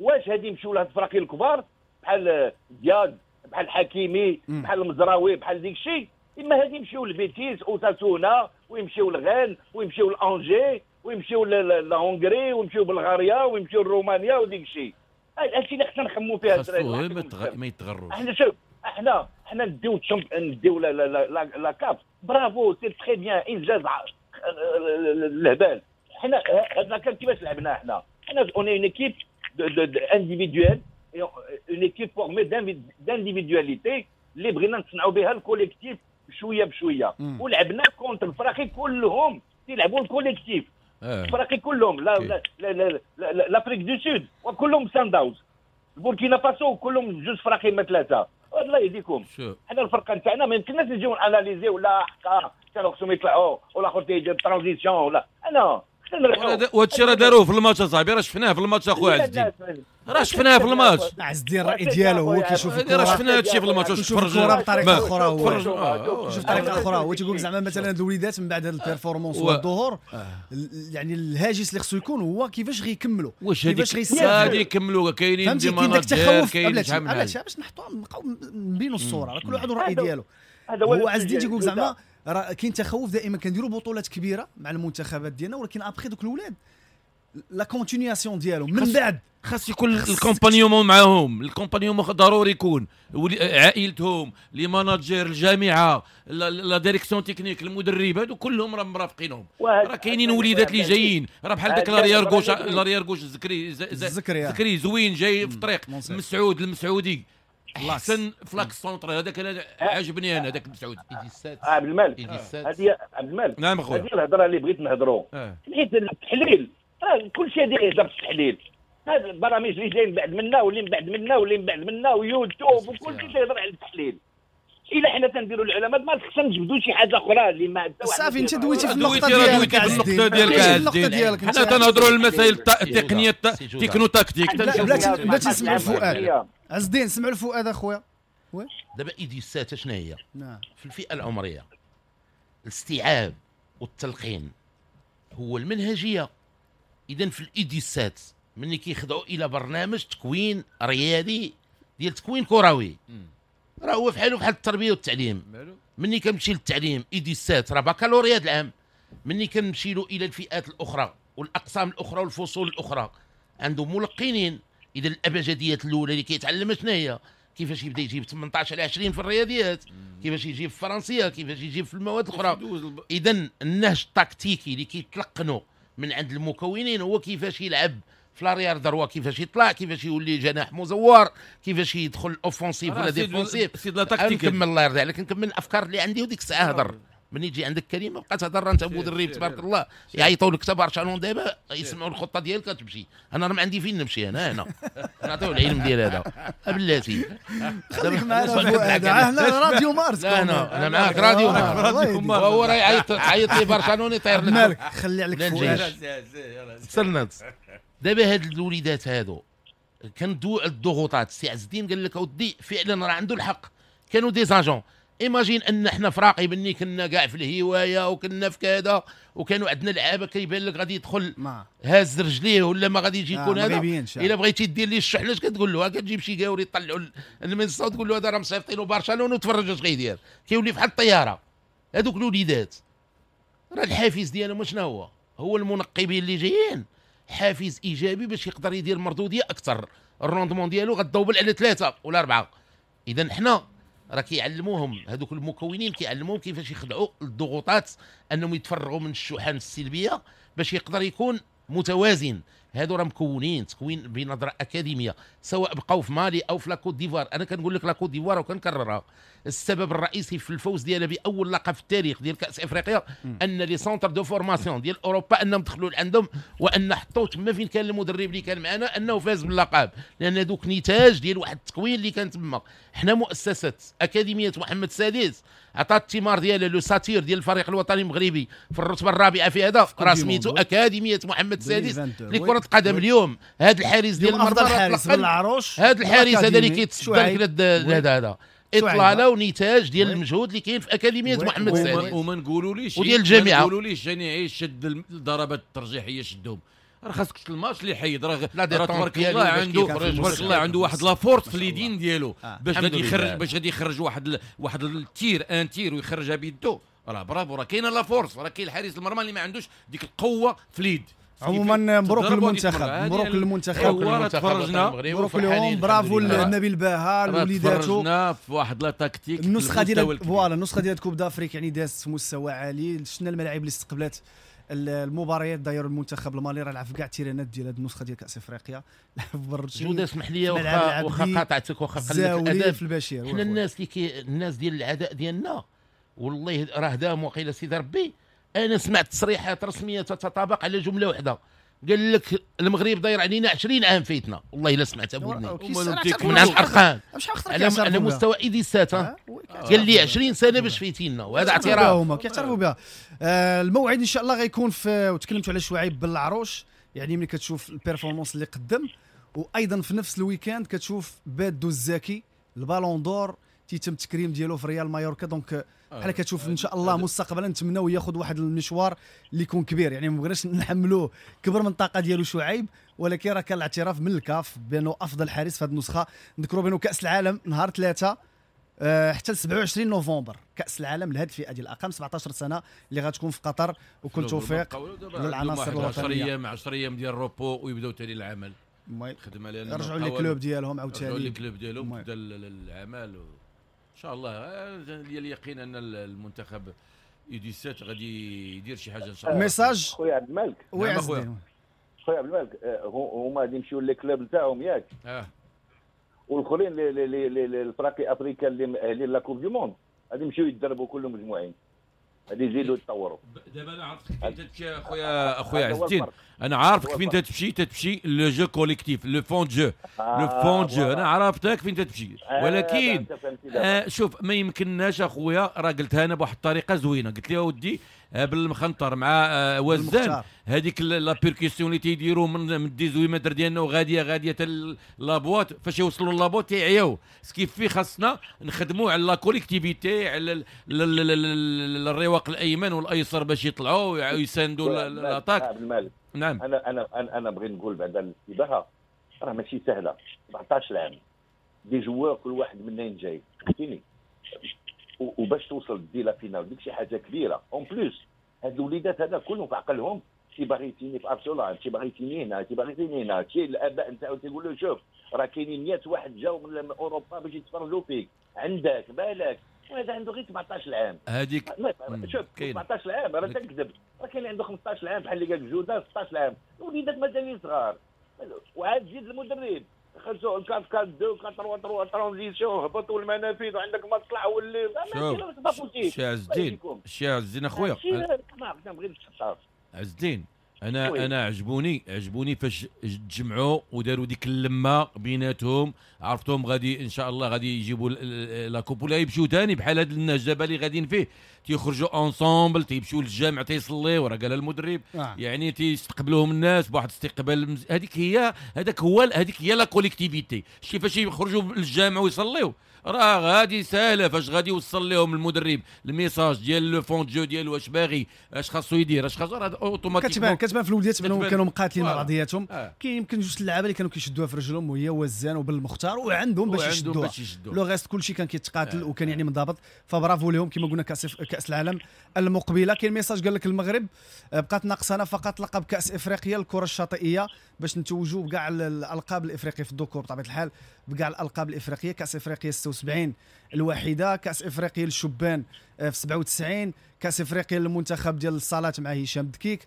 واش هادي يمشيو لهاد الفراقي الكبار بحال دياز بحال حكيمي بحال المزراوي بحال ديك الشيء، اما هادي يمشيو لبيتيس اوساسونا ويمشيو لغان ويمشيو لانجي ويمشيو ل Hongrie ويمشيو بلغاريا ويمشيو لرومانيا وديك الشيء. هادشي اللي خصنا نخمو فيها الدراري، ما يتغروش. احنا شوف احنا احنا نديو نديو la la la CAF، bravo c'est très bien، انجاز الهبال. حنا هاد la CAF كيفاش لعبنا حنا؟ حنا on est une équipe individuelle، une équipe formée d'individualités اللي بغينا نصنعوا بها ال collectif بشوية بشوية، ولعبنا contre الفراقي كلهم تيلعبوا ال collectif. الفراقي كلهم لا لا لا لا l'Afrique du Sud وكلهم سان داونز، البوركينا فاسو كلهم جوج فراقي ما ثلاثة. الله يهديكم، حنا الفرقة نتاعنا ما يمكنناش نجيو ن analyser ولا حقا كانوا خصهم يطلعوا ولا اخر تيدير transition ولا انا. وهذا الشيء راه داروه في الماتش اصاحبي، راه شفناه في الماتش اخويا عز الدين، راه شفناه في الماتش. عز الدين الراي ديالو هو كيشوف الكره، راه شفنا هذا الشيء في الماتش. واش تفرج الكره بطريقة اخرى، هو شوف بطريقة اخرى، هو تيقول زعما مثلا هاد الوليدات من بعد هاد ال performance والظهور، يعني الهاجس اللي خصو يكون هو كيفاش غيكملوا، كيفاش غيستافدوا، غادي يكملوا. كاينين des managers، كاين شحال من حاجة باش نحطوا نبقاو نبينوا الصورة، كل واحد الراي ديالو. هو عز الدين تيقول زعما راه كاين تخوف دائما، كنديروا بطولات كبيرة مع المنتخبات ديالنا، ولكن après دوك الاولاد la continuation ديالهم من بعد خاص يكون l'accompagnement معاهم. l'accompagnement ضروري يكون عائلتهم، les managers، الجامعة، la direction technique، المدرب، هادو كلهم راه مرافقينهم. راه كاينين وليدات اللي جايين، راه بحال داك l'arrière gauche، l'arrière gauche زكري زكري زوين جاي في الطريق، مسعود المسعودي احسن ف l'axe central، هذاك انا عجبني انا هذاك مسعود. عبد الملك، هذه عبد الملك، نعم اخويا، هذه الهضرة اللي بغيت نهضروا، حيت التحليل راه كل شيء يهضر في التحليل، هاد البرامج اللي جايين بعد منا واللي من بعد منا واللي من بعد منا ويوتيوب وكل شيء تيهضر على التحليل. الا حنا تنديروا العلماء ما خصنا نجبدوا شي حاجة اخرى اللي ما صافي. انت دويتي في النقطة ديالك، النقطة ديالك حنا تنهضروا على المسائل التقنية techno-tactique. بلاتي بلاتي نسمعوا الفؤاد عز الدين، سمعوا الفؤاد اخويا. دابا U dix-sept شنو هي؟ في الفئة العمرية الاستيعاب والتلقين هو المنهجية. اذا في ال U dix-sept ملي كيخضعوا الى برنامج تكوين رياضي ديال تكوين كروي، راه هو فحالو بحال التربية والتعليم. ملي كنمشي للتعليم U dix-sept راه بكالوريا العام، ملي كنمشي له الى الفئات الاخرى والاقسام الاخرى والفصول الاخرى عنده ملقنين. اذا الابجديات الاولى اللي كيتعلم شنو هي؟ كيفاش يبدا يجيب ثمنطاش على عشرين في الرياضيات، كيفاش يجيب في الفرنسية، كيفاش يجيب في المواد الاخرى. اذا النهج التكتيكي اللي كيتلقنوا من عند المكونين هو كيفاش يلعب في l'arrière droit، كيفاش يطلع، كيفاش يولي جناح مزور، كيفاش يدخل offensif ولا défensif. نكمل الله يرضي عليك، نكمل الافكار اللي عندي وديك الساعة هضر. من يجي عندك كلمة بقى تهضر انت مدرب تبارك الله، يعيطوا لك حتى برشلونة دابا يسمعوا الخطة ديالك تمشي. انا راه ما عندي فين نمشي، انا هنا نعطيو العلم ديال هذا بلاتي. خليك معنا فؤاد، هنا راديو مارس. لا انا انا معاك راديو مارس، وهو راه يعيط عيط لي برشلونة يطير لك. مالك خلي عليك فؤاد. سنت دابا هاد الوليدات هادو كندوي على الضغوطات. السي عز الدين قال لك اودي فعلا راه عنده الحق، كانوا des agents. imagine ان حنا فراقي بني كنا كاع في الهواية وكنا في كذا، وكانوا عندنا لعابه كيبان لك غادي يدخل هاز رجليه ولا ما غادي يجي يكون هذا. الا بغيتي دير ليه الشحنة اش كتقول له؟ كتجيب شي كاوري يطلعوا المنصة وتقول له هذا راه مصيفطينو برشلونة وتفرج اش غيدير، كيولي بحال الطيارة. هذوك الوليدات راه الحافز ديالهم شنو هو؟ هو المنقبين اللي جايين حافز ايجابي باش يقدر يدير مردوديه اكثر، ال rendement ديالو غتدوبل على ثلاثة ولا اربعة. اذا حنا راه كيعلموهم هذوك المكونين، كيعلموهم كيفاش يخضعوا الضغوطات، انهم يتفرغوا من الشحن السلبية باش يقدر يكون متوازن. هادو راه مكونين تكوين بنظره اكاديمية، سواء بقاو في مالي او في la Côte d'Ivoire. انا كنقول لك la Côte d'Ivoire وكنكررها، السبب الرئيسي في الفوز ديالها باول لقب في التاريخ ديال كاس افريقيا ان les centres de formation ديال اوروبا انهم دخلوا لعندهم، وان حطوا تما فين كان المدرب اللي كان معنا انه فاز باللقب، لان دوك نتاج ديال واحد التكوين اللي كان تما. حنا مؤسسة اكاديمية محمد السادس عطات الثمار ديالها le satyre ديال الفريق الوطني المغربي في الرتبة الرابعة في هذا راه سميتو اكاديمية محمد السادس لكرة القدم. اليوم هذا الحارس ديال المرمى العروش، هذا الحارس هذا اللي كيتصدر هذا هذا اطلالة ونتاج ديال المجهود اللي كاين في اكاديمية محمد السادس. وما نقولوليش وديال الجامعة، ما نقولوليش جاني شد الضربات الترجيحيه شدهم، راه خاصك الماتش اللي حيد راه تبارك الله عنده تبارك الله عنده واحد la force في اليدين ديالو باش غادي يخرج باش غادي يخرج واحد ال... واحد ال tir un tir ويخرجها بيدو. راه برافو، راه كاينه la force، راه كاين الحارس المرمى اللي ما عندوش ديك القوة في اليد. عموما مبروك للمنتخب، مبروك للمنتخب، مبروك لهم، برافو لنبيل باها لوليداتو. تفرجنا في واحد la tactique، النسخة ديال voilà النسخة ديال Coupe d'Afrique يعني دازت في مستوى عالي. شفنا الملاعب اللي استقبلت المباريات داير المنتخب المالي راه لعب في كاع التيرانات ديال هذه النسخة ديال كاس افريقيا. لعب برشا. جوده اسمح لي واخا واخا قاطعتك واخا قلت الادب في البشير. حنا الناس اللي كي الناس ديال العداء ديالنا والله راه دام وقيله سيدي ربي. انا سمعت تصريحات رسمية تتطابق على جملة واحدة، قال لك المغرب داير علينا عشرين عام فايتنا. والله الا سمعتها بودني من عند الارقام على على مستوى U dix-sept، قال لي عشرين سنة باش فايتينا، وهذا اعتراف هما كيعترفوا بها. آه الموعد ان شاء الله غيكون في، وتكلمتوا على شعيب بالعروش، يعني ملي كتشوف ال performance اللي قدم، وايضا في نفس ال week-end كتشوف بادو الزكي ال Ballon d'Or تيتم التكريم ديالو في ريال مايوركا. donc بحال كتشوف ان شاء الله مستقبلا نتمناو ياخذ واحد المشوار اللي يكون كبير، يعني ما بغيناش نحملوه كبر من الطاقة ديالو شعيب، ولكن راه كان الاعتراف من الكاف بانه افضل حارس في هذه النسخة. نذكروا بانه كاس العالم نهار ثلاثة حتى سبعة وعشرين نوفمبر، كاس العالم لهذه الفئة ديال الاقل سبعطاش سنة اللي غتكون في قطر. وكل توفيق للعناصر الوطنية. عشرة ايام عشرة ايام ديال ال repos ويبداو ثاني العمل، خدم علينا رجعوا les clubs ديالهم عاوتاني، رجعوا les clubs ديالهم بدا العمل و... ان شاء الله لي اليقين ان المنتخب U dix-sept غادي يدير شي حاجة ان شاء الله. message خويا عبد الملك. oui خويا خويا عبد الملك، هما غادي يمشيو les clubs تاعهم ياك؟ اه والاخرين الفراقي افريقيا اللي مأهلين la Coupe du Monde غادي يمشيو يتدربوا كلهم مجموعين، غادي يزيدوا يتطوروا. دابا انا عرفتك فين تمشي اخويا اخويا عز الدين، انا عارفك فين تمشي، تمشي le jeu collectif، le fond de jeu، le fond de jeu، انا عرفتك فين تمشي، ولكن آه شوف ما يمكنناش اخويا، راه قلتها انا بواحد الطريقة زوينة، قلت لها ودي بالمخنطر مع آه وزان هذيك la percussion اللي تيديروا من من dix-huit mètres ديالنا وغاديه غادية حتى la boîte، فاش يوصلوا la boîte تيعياو. ce qui fait خاصنا نخدموا على la collectivité، على الرواق الايمن والايسر باش يطلعوا ويساندوا l'attaque. نعم انا انا انا انا بغيت نقول بعدا الانتباهه راه ماشي سهلة، سبعطاش عام des joueurs كل واحد منين جاي، فهمتيني، وباش توصل دي la finale ديك شي حاجة كبيرة. en plus هاد الوليدات هذا كلهم في عقلهم شي باغي يتيني في ارسنال، شي باغي يتيني هنا، شي باغي يتيني هنا، شي الاباء نتاعو تيقول له شوف راه كاينين مية واحد جاو من اوروبا باش يتفرجوا فيك، عندك بالك، وهذا عنده غير سبعطاش عام. هذيك شوف سبعطاش عام راه تنكذب، راه كاين اللي عنده خمسطاش عام بحال اللي قال جوده ستطاش عام، الوليدات مازالين صغار. وعاد زيد المدرب خرجوا أربعة أربعة اثنين أربعة ثلاثة ثلاثة transition، هبطوا المنافذ وعندك ما تطلع واللي شوف شي عز الدين، شي عز الدين اخويا عز الدين، انا oui. انا عجبوني عجبوني فاش تجمعوا وداروا ديك اللمة بيناتهم، عرفتهم غادي ان شاء الله غادي يجيبوا la coupe ولا يمشيو ثاني بحال هذا النهج دابا اللي غاديين فيه، تيخرجوا ensemble، تيمشيو للجامع تيصليو، راه قال المدرب آه. يعني تيستقبلوهم الناس بواحد الاستقبال مز... هذيك هي هذاك هو هذيك هي la collectivité. شتي فاش يخرجوا للجامع ويصليو راه غادي ساهله، فاش غادي يوصل لهم المدرب ال message ديال le fond de jeu ديالو اش باغي، اش خاصو يدير، اش خاصو، راه automatiquement كتبان كتبان في الوليدات بانهم كانوا مقاتلين مع بعضياتهم. آه. كاين يمكن جوج اللعابه اللي كانوا كيشدوها في رجلهم وهي وزان وبالمختار وعندهم باش يشدوها، le reste كلشي كان كيتقاتل آه. وكان يعني منضبط، فبرافو لهم كما قلنا كاس كاس العالم المقبلة. كاين message قال لك المغرب بقات ناقصنا فقط لقب كاس افريقيا الكره الشاطئيه باش نتوجوا بكاع الالقاب الافريقية في الذكور بطبيعة الحال، بكاع الالقاب الافريقية، كاس افريقيا ستة وسبعين الوحيدة، كاس افريقيا للشبان في سبعة وتسعين، كاس افريقيا للمنتخب ديال الصالات مع هشام دكيك،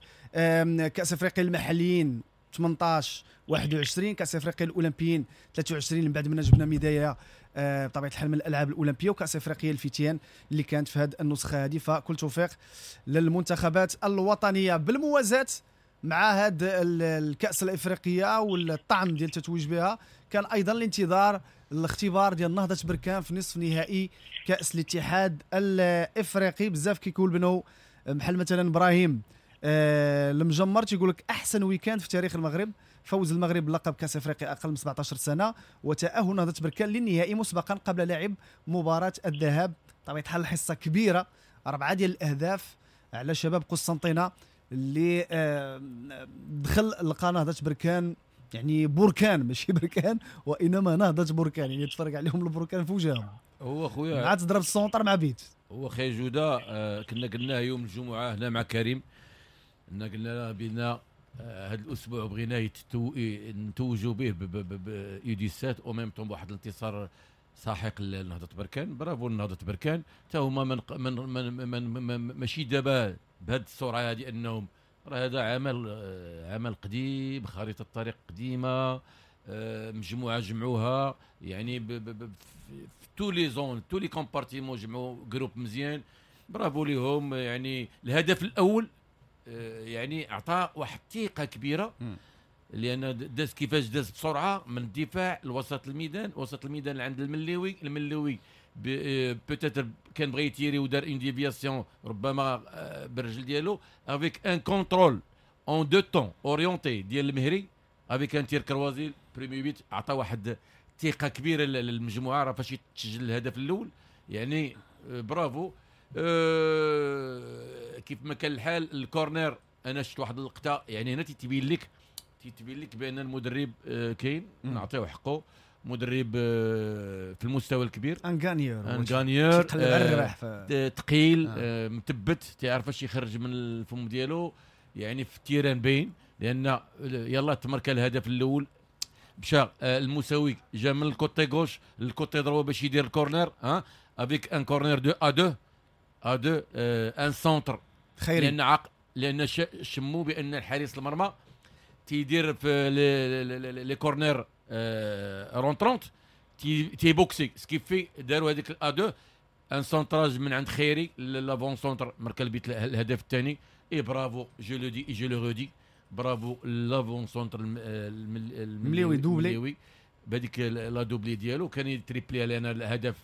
كاس افريقيا المحليين ثمنطاش واحد وعشرين، كاس افريقيا الاولمبيين ثلاثة وعشرين من بعد ما جبنا ميدالية بطبيعة الحال من الالعاب الاولمبية، وكاس افريقيا الفتيان اللي كانت في هذه النسخة هذه. فكل توفيق للمنتخبات الوطنية. بالموازاه مع هذا الكاس الافريقية والطعم ديال التتويج بها، كان ايضا الانتظار الاختبار ديال نهضة بركان في نصف نهائي كاس الاتحاد الافريقي. بزاف كيقول بانه بحال مثلا ابراهيم آه المجمر تيقول لك احسن week-end في تاريخ المغرب، فوز المغرب بلقب كاس افريقيا اقل من سبعطاش سنة وتاهل نهضة بركان للنهائي مسبقا قبل لعب مباراة الذهاب. طبيعة الحال حصة كبيرة، اربعة ديال الاهداف على شباب قسنطينه اللي دخل لقى نهضة بركان، يعني بركان ماشي بركان وانما نهضة بركان، يعني تفرق عليهم البركان في وجههم. هو خويا مع تضرب ال centre مع بيت. هو خي جوده آه كنا قلناه يوم الجمعة هنا مع كريم، كنا قلنا بان هذا الاسبوع بغينا يتتو... نتوجوا به ب U dix-sept au même temps بواحد الانتصار ساحق لنهضه بركان. برافو لنهضه بركان، حتى هما من من من, من, من ماشي دابا بهذه السرعة هذه، انهم راه هذا عمل عمل قديم، خريطة الطريق قديمة، مجموعة جمعوها يعني في tous les zones tous les compartiments جمعوا groupe مزيان، برافو ليهم. يعني الهدف الاول يعني اعطى واحد الثقة كبيرة، لان داز كيفاش داز بسرعة من الدفاع لوسط الميدان، وسط الميدان عند المليوي، المليوي peut-être كان بغى يتيري ودار une déviation ربما بالرجل ديالو avec un contrôle en deux temps orienté ديال المهري avec un tir croisé premier but، عطى واحد الثقة كبيرة للمجموعة راه فاش يتسجل الهدف الاول، يعني برافو. أه كيف ما كان الحال ال corner انا شفت واحد اللقطة، يعني هنا تيتبين لك تيتبين لك بان المدرب أه كاين نعطيو حقه، مدرب أه في المستوى الكبير، un gagneur un gagneur ثقيل آه. آه. مثبت، تيعرف اش يخرج من الفم ديالو، يعني في ال terrain باين، لان يلا تمركا الهدف الاول مشى المساوي جا من ال côté gauche لل côté droit باش يدير ال corner، ها avec un corner deux à deux à deux un centre خيري، لان عق لان شمو بان الحارس المرمى تيدير في les corners rentrants تيبوكسي ce qui fait داروا هذيك à deux un centrage من عند خيري l'avant-centre مركا البيت الهدف الثاني. et bravo je le dis je le redis bravo l'avant-centre المليوي doublé بهذيك la doublé ديالو كان يتريبلي علينا الهدف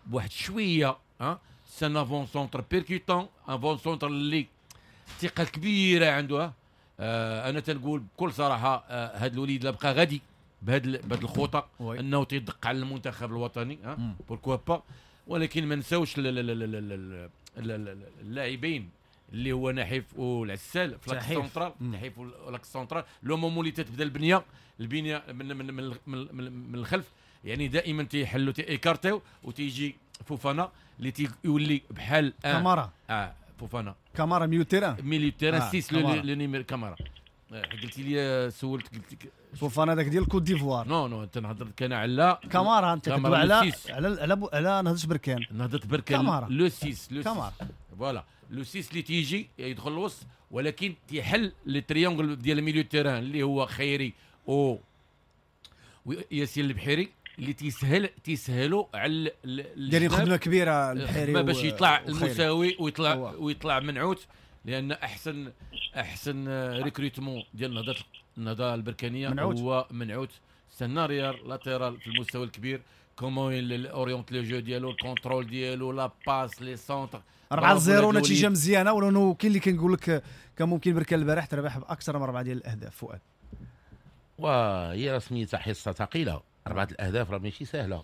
بواحد شوية. ها c'est un avant-centre percutant، avant-centre اللي ثقة كبيرة عنده. آه انا تنقول بكل صراحة آه هذا الوليد لا بقى غادي بهذا بهذا الخطة انه تيدق على المنتخب الوطني pourquoi pas. ولكن ما نساوش اللاعبين اللي هو نحيف والعسال في l'axe central، نحيف و l'axe central le moment اللي تتبدا البنية البنية من من من, من, من الخلف، يعني دائما تيحلوا تيكارتيو وتيجي فوفانا اللي تيولي بحال كامارا. اه فوفانا كامارا milieu terrain milieu terrain six le numéro كامارا. قلتي لي سولت قلت لك فوفانا داك ديال كوت ديفوار. non non تنهضر كان على كامارا، انت كتدوي على على على على نهضة بركان، نهضة بركان le six le كامارا voilà le six اللي تيجي يدخل الوسط ولكن تيحل les triangles ديال milieu terrain اللي هو خيري او وياسين البحيري اللي تيسهل تيسهلوا على دايرين خدمة كبيرة البحيري باش يطلع المساوي ويطلع ويطلع منعوت، لان احسن احسن recrutement ديال النهضة النهضة البركانيه منعوت. هو منعوت c'est un arrière latéral في المستوى الكبير، comment oriente le jeu ديالو، ال contrôle ديالو، la passe، les centres. أربعة صفر نتيجة مزيانه، ولو كاين اللي كنقول لك كان ممكن بركان البارح تربح باكثر من اربعة ديال الاهداف. فؤاد وهي راه سميتها حصة ثقيلة، اربعة الاهداف راه ماشي سهلة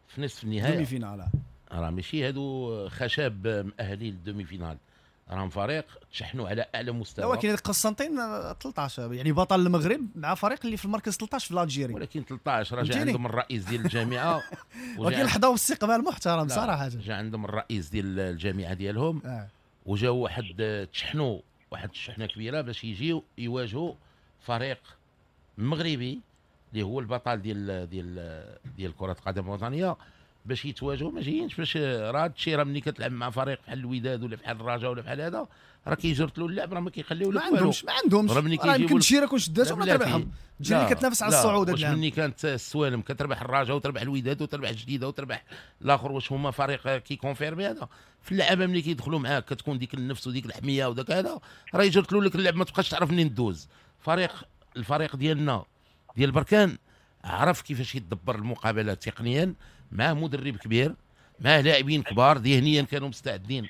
في نصف النهائي demi-finale، راه ماشي هادو خشب مؤهلين لل demi-finale، راهم فريق تشحنوا على اعلى مستوى. ولكن قسنطين ثلاثة عشر يعني بطل المغرب مع فريق اللي في المركز ثلاثة عشر في l'Algérie، ولكن ثلاثة عشر راه جا عندهم الرئيس ديال الجامعة ولكن حضاو استقبال محترم صراحة، جا عندهم الرئيس ديال الجامعة ديالهم آه. وجاو واحد تشحنوا واحد الشحنة كبيرة باش يجيو يواجهوا فريق مغربي اللي هو البطل ديال ديال ديال كره القدم الوطنية باش يتواجهوا. ما جايينش باش راه هادشي راه ملي كتلعب مع فريق بحال الوداد ولا بحال الرجاء ولا بحال هذا راه كيجرت له اللعب، راه ما كيخليو لك والو، ما عندهمش ما عندهمش راه يمكن تشيرا كون شداتهم ولا تربحهم. تجي كتنافس على الصعود هذا العام. ملي كانت السوالم كتربح الرجاء وتربح الوداد وتربح الجديدة وتربح الاخر، واش هما فريق كي confirmer هذا في اللعابه ملي كيدخلوا معاك كتكون ديك النفس وديك الحمية وداك هذا راه يجرت له لك اللعب ما تبقاش تعرف منين دوز. فريق الفريق ديالنا ديال بركان عرف كيفاش يدبر المقابلة تقنيا، معاه مدرب كبير، معاه لاعبين كبار، ذهنيا كانوا مستعدين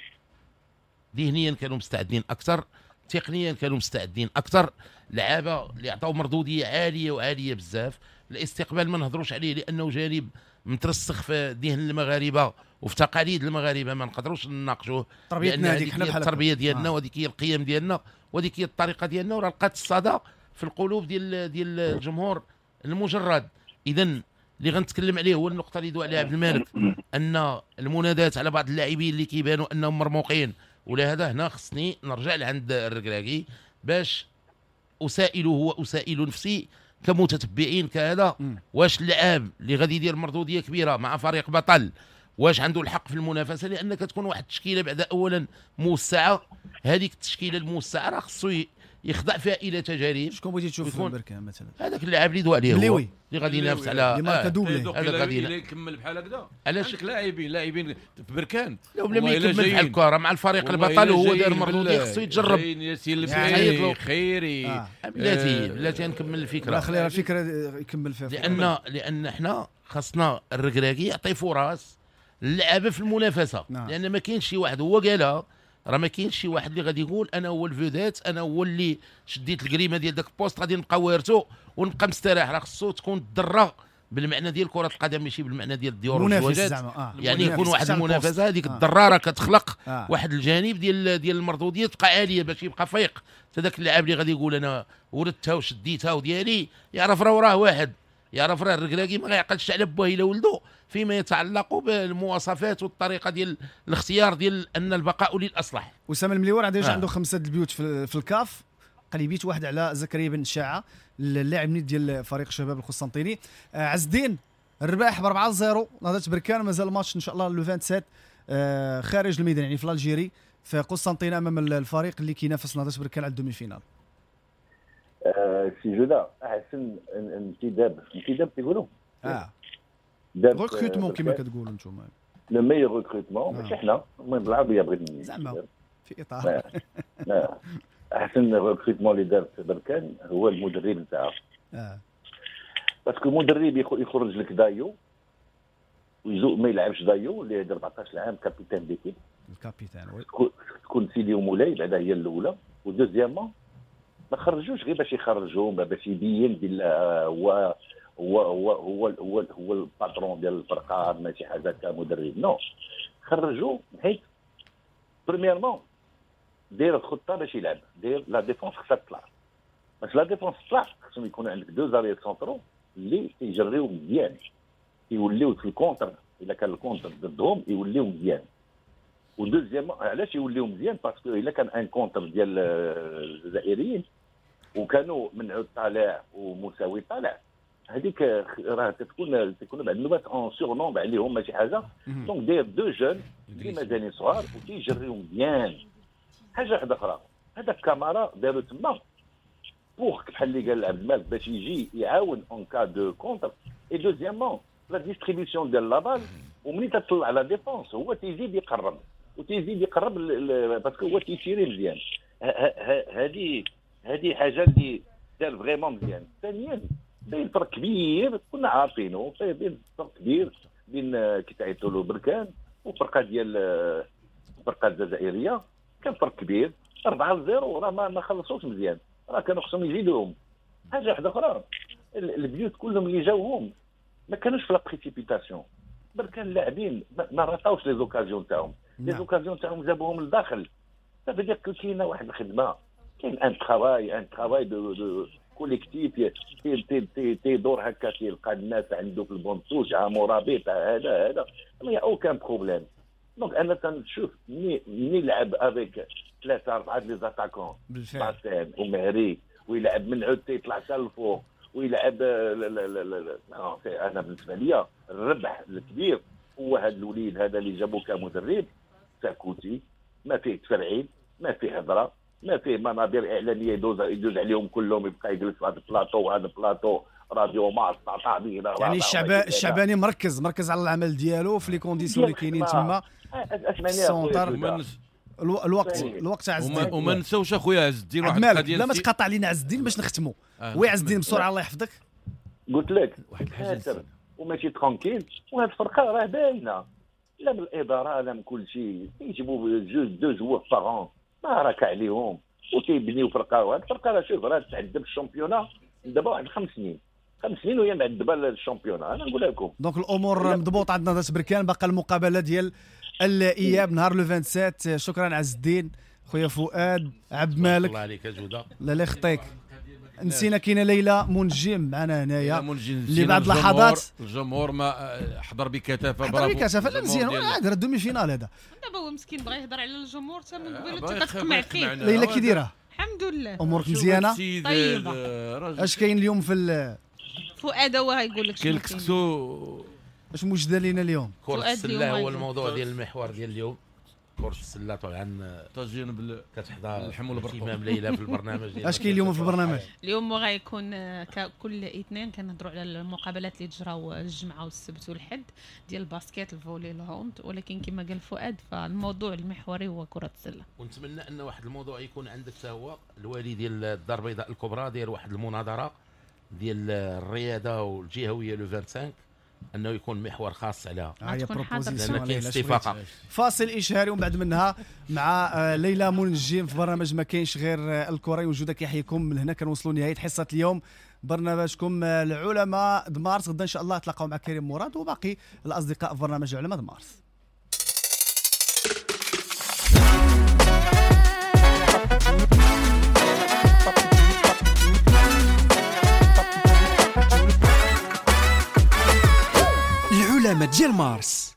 ذهنيا كانوا مستعدين اكثر، تقنيا كانوا مستعدين اكثر، لعابه اللي عطاو مردوديه عالية وعاليه بزاف. الاستقبال ما نهضروش عليه لانه جانب مترسخ في ذهن المغاربة وفي تقاليد المغاربة، ما نقدروش نناقشوه. تربيتنا هذيك حنا بحال التربية ديالنا آه. وهذيك هي القيم ديالنا وهذيك هي الطريقة ديالنا، وراه لقات الصدى في القلوب ديال ديال الجمهور المجرد. اذا اللي غنتكلم عليه هو النقطة اللي دوا عليها عبد الملك، ان المنادات على بعض اللاعبين اللي كيبانوا انهم مرموقين ولا هذا، هنا خصني نرجع لعند الركراكي باش اسائله واسائل نفسي كمتتبعين كهذا، واش اللاعب اللي غادي يدير مردوديه كبيرة مع فريق بطل واش عنده الحق في المنافسة؟ لان كتكون واحد التشكيلة بعد اولا موسعه، هذيك التشكيلة الموسعه راه خصو يخضع فيها الى تجارب. شكون بغيتي تشوف في بركان مثلا؟ هذاك اللاعب اللي دوا عليه هو اللي غادي ينافس على اللي ماركا doublé، هذاك غادي يكمل بحال هكذا. علاش لاعبين لاعبين في بركان لا بلا ما يكمل بحال الكره مع الفريق البطل وهو دار مردوديه خصو يتجرب. ياسين البحيري خيري بلاتي بلاتي نكمل الفكرة، لا خليها الفكرة يكمل فيها، لان لان حنا خاصنا الركراكي يعطي فرص اللعابه في المنافسة، لان ما كاينش شي واحد هو قالها راه ما كاينش شي واحد اللي غادي يقول انا هو ال vedette، انا هو اللي شديت الكريمة ديال داك ال poste غادي نبقى وارثو ونبقى مستراح. راه خصو تكون الدرة بالمعنى ديال كره القدم ماشي بالمعنى ديال الديور والزواجات، آه. يعني يكون واحد المنافسة، هذيك آه. الدرارة كتخلق آه. واحد الجانب ديال ديال المردوديه تبقى عالية باش يبقى فايق حتى داك اللاعب اللي غادي يقول انا ورثتها وشديتها وديالي، يعرف راه وراه واحد، يعرف راه الركراكي ما غيعقلش على باه الا ولدو فيما يتعلق بالمواصفات والطريقة ديال الاختيار ديال ان البقاء للاصلح. اسامة المليور عنده آه. عنده خمسة البيوت في, في الكاف، قليبيت واحد على زكريا بن شاعه اللاعب نيت ديال فريق شباب القسنطيني. آه عز الدين الرباح ب أربعة صفر نهضة بركان، مازال الماتش ان شاء الله le سبعة وعشرين آه خارج الميدان يعني في l'Algérie في قسنطينه امام الفريق اللي كينافس نهضة بركان على ال demi-finale. آه سي جوده احسن انتداب انتداب تيقولوا اه recrutement كما كتقولوا انتم le meilleur recrutement، ماشي حنا، المهم بالعربية بغيت زعما في اطار احسن recrutement اللي دارت بركان هو المدرب نتاعها. اه parce que المدرب يخرج لك دايو ويزو ما يلعبش دايو اللي هذا أربعطاش عام capitaine d'équipe، ال capitaine oui تكون سيدي ومولاي بعدا هي الاولى. و deuxièmement ما خرجوش غير باش يخرجوهم باش يبين بلا هو هو هو هو هو, هو ال patron ديال الفرقة ماشي حاجة كمدرب. non خرجوا حيت premièrement دير الخطة باش يلعب، دير la défense خصها تطلع، باش la défense تطلع خصهم يكونوا عندك deux arrières centraux اللي تيجريو مزيان، يوليو في ال contre الا كان ال contre ضدهم يوليو مزيان. و deuxièmement علاش يوليو مزيان؟ parce que الا كان un contre ديال الجزائريين وكانوا منعوا طالع ومساوي طالع، هذيك راه تكون تكون بعد النوبات en surnombre عليهم ماشي حاجة. donc داير deux jeunes اللي مازالين صغار وتيجريو مزيان. حاجة واحدة اخرى، هذاك كامارا داروا تما pour بحال اللي قال عبد المالك باش يجي يعاون en cas de contre. et deuxièmement la distribution ديال la balle، ومنين تطلع la défense هو تيزيد يقرب وتيزيد يقرب parce que هو تيشيري مزيان. هذه هذه حاجة اللي دار vraiment مزيان. ثانيا بين فرق كبير كنا عارفينه، بين فرق كبير بين كي تعيطوا له بركان وفرقه ديال الفرقة الجزائرية، كان فرق كبير أربعة صفر راه ما ما خلصوش مزيان، راه كانوا خصهم يزيدوهم. حاجة واحدة اخرى، البيوت كلهم اللي جاوهم ما كانوش في la précipitation، بركان اللاعبين ما رطاوش les occasions تاعهم، les occasions تاعهم جابوهم للداخل. ça veut dire كاينه واحد الخدمة، كاين un travail un travail de de collectif تي تي تيدور هكا، تيلقى الناس عنده في ال banc de touche مرابط هذا هذا ما y a aucun problème. donc انا تنشوف ملي ملي لعب avec ثلاثة اربعة les attaquants باسين ومهري ويلعب من عود تيطلع حتى الفوق ويلعب لا لا لا لا. انا بالنسبة لي الربح الكبير هو هذا الوليد هذا اللي جابوه كمدرب ساكوتي، ما فيه تفرعين، ما فيه هضره، ما فيه منابر اعلامية يدوز يدوز عليهم كلهم، يبقى يجلس في هذا البلاطو وهذا البلاطو راديو مارس تعطى. يعني الشعب الشعباني مركز مركز على العمل ديالو في les conditions اللي كاينين تما ال centre. الوقت الوقت عز الدين، وما نساوش اخويا عز الدين واحد القضية، لا ما تقاطع علينا عز الدين باش نختموا. oui عز الدين بسرعة الله يحفظك. قلت لك واحد الحاجة وماشي tranquille، وهاد الفرقة راه باينة لا من الادارة لا من كل شيء، يجيبوا جوج deux joueurs par an ما راك عليهم وتيبنيو فرقه. وهاد الفرقة راه شوف راه تعذب ال championnat دابا واحد خمس سنين، خمس سنين وهي معذبة ال championnat. انا نقول لكم donc الامور مضبوطة عندنا نهضة بركان، باقا المقابلة ديال الاياب نهار le سبعة وعشرين. شكرا عز الدين خويا فؤاد عبد مالك، الله عليك جوده. لا لا يخطيك، نسينا كاينه ليلى منجم معنا هنايا اللي بعد لحظات الجمهور ما حضر بكثافة، برافو حضر بكثافة. لا مزيان هذا demi-finale هذا دابا هو مسكين بغى يهضر على الجمهور حتى من قبل انت كتقمع فيه. ليلى كي دايرة؟ الحمد لله امورك مزيانه طيبة. اش كاين اليوم في فؤاد هو غايقول لك كاين الكسكسو اش موجده لينا اليوم؟ كرة السلة هو الموضوع ديال المحور ديال اليوم. كرة السلة طبعا طاجين بال كتحضر اللحم والبرقوق امام ليلى في البرنامج ديال اش كاين اليوم في البرنامج؟ اليوم غيكون كل اثنين كنهضروا على المقابلات اللي تجراو الجمعة والسبت والحد ديال ال basket ال volley ال hand، ولكن كما قال فؤاد فالموضوع المحوري هو كرة السلة. ونتمنى ان واحد الموضوع يكون عندك حتى هو الوالي ديال الدار البيضاء الكبرى داير واحد المناظرة ديال الرياضة والجهويه le خمسة وعشرين انه يكون محور خاص عليها. هي proposition. فاصل اشهاري ومن بعد منها مع ليلى منجم في برنامج ما كاينش غير الكره. وجودك يحييكم من هنا كنوصلوا لنهاية حصة اليوم برنامجكم العلماء د مارس. غدا ان شاء الله تلاقاو مع كريم مراد وباقي الاصدقاء في برنامج العلماء د مارس. العلماء ديال مارس.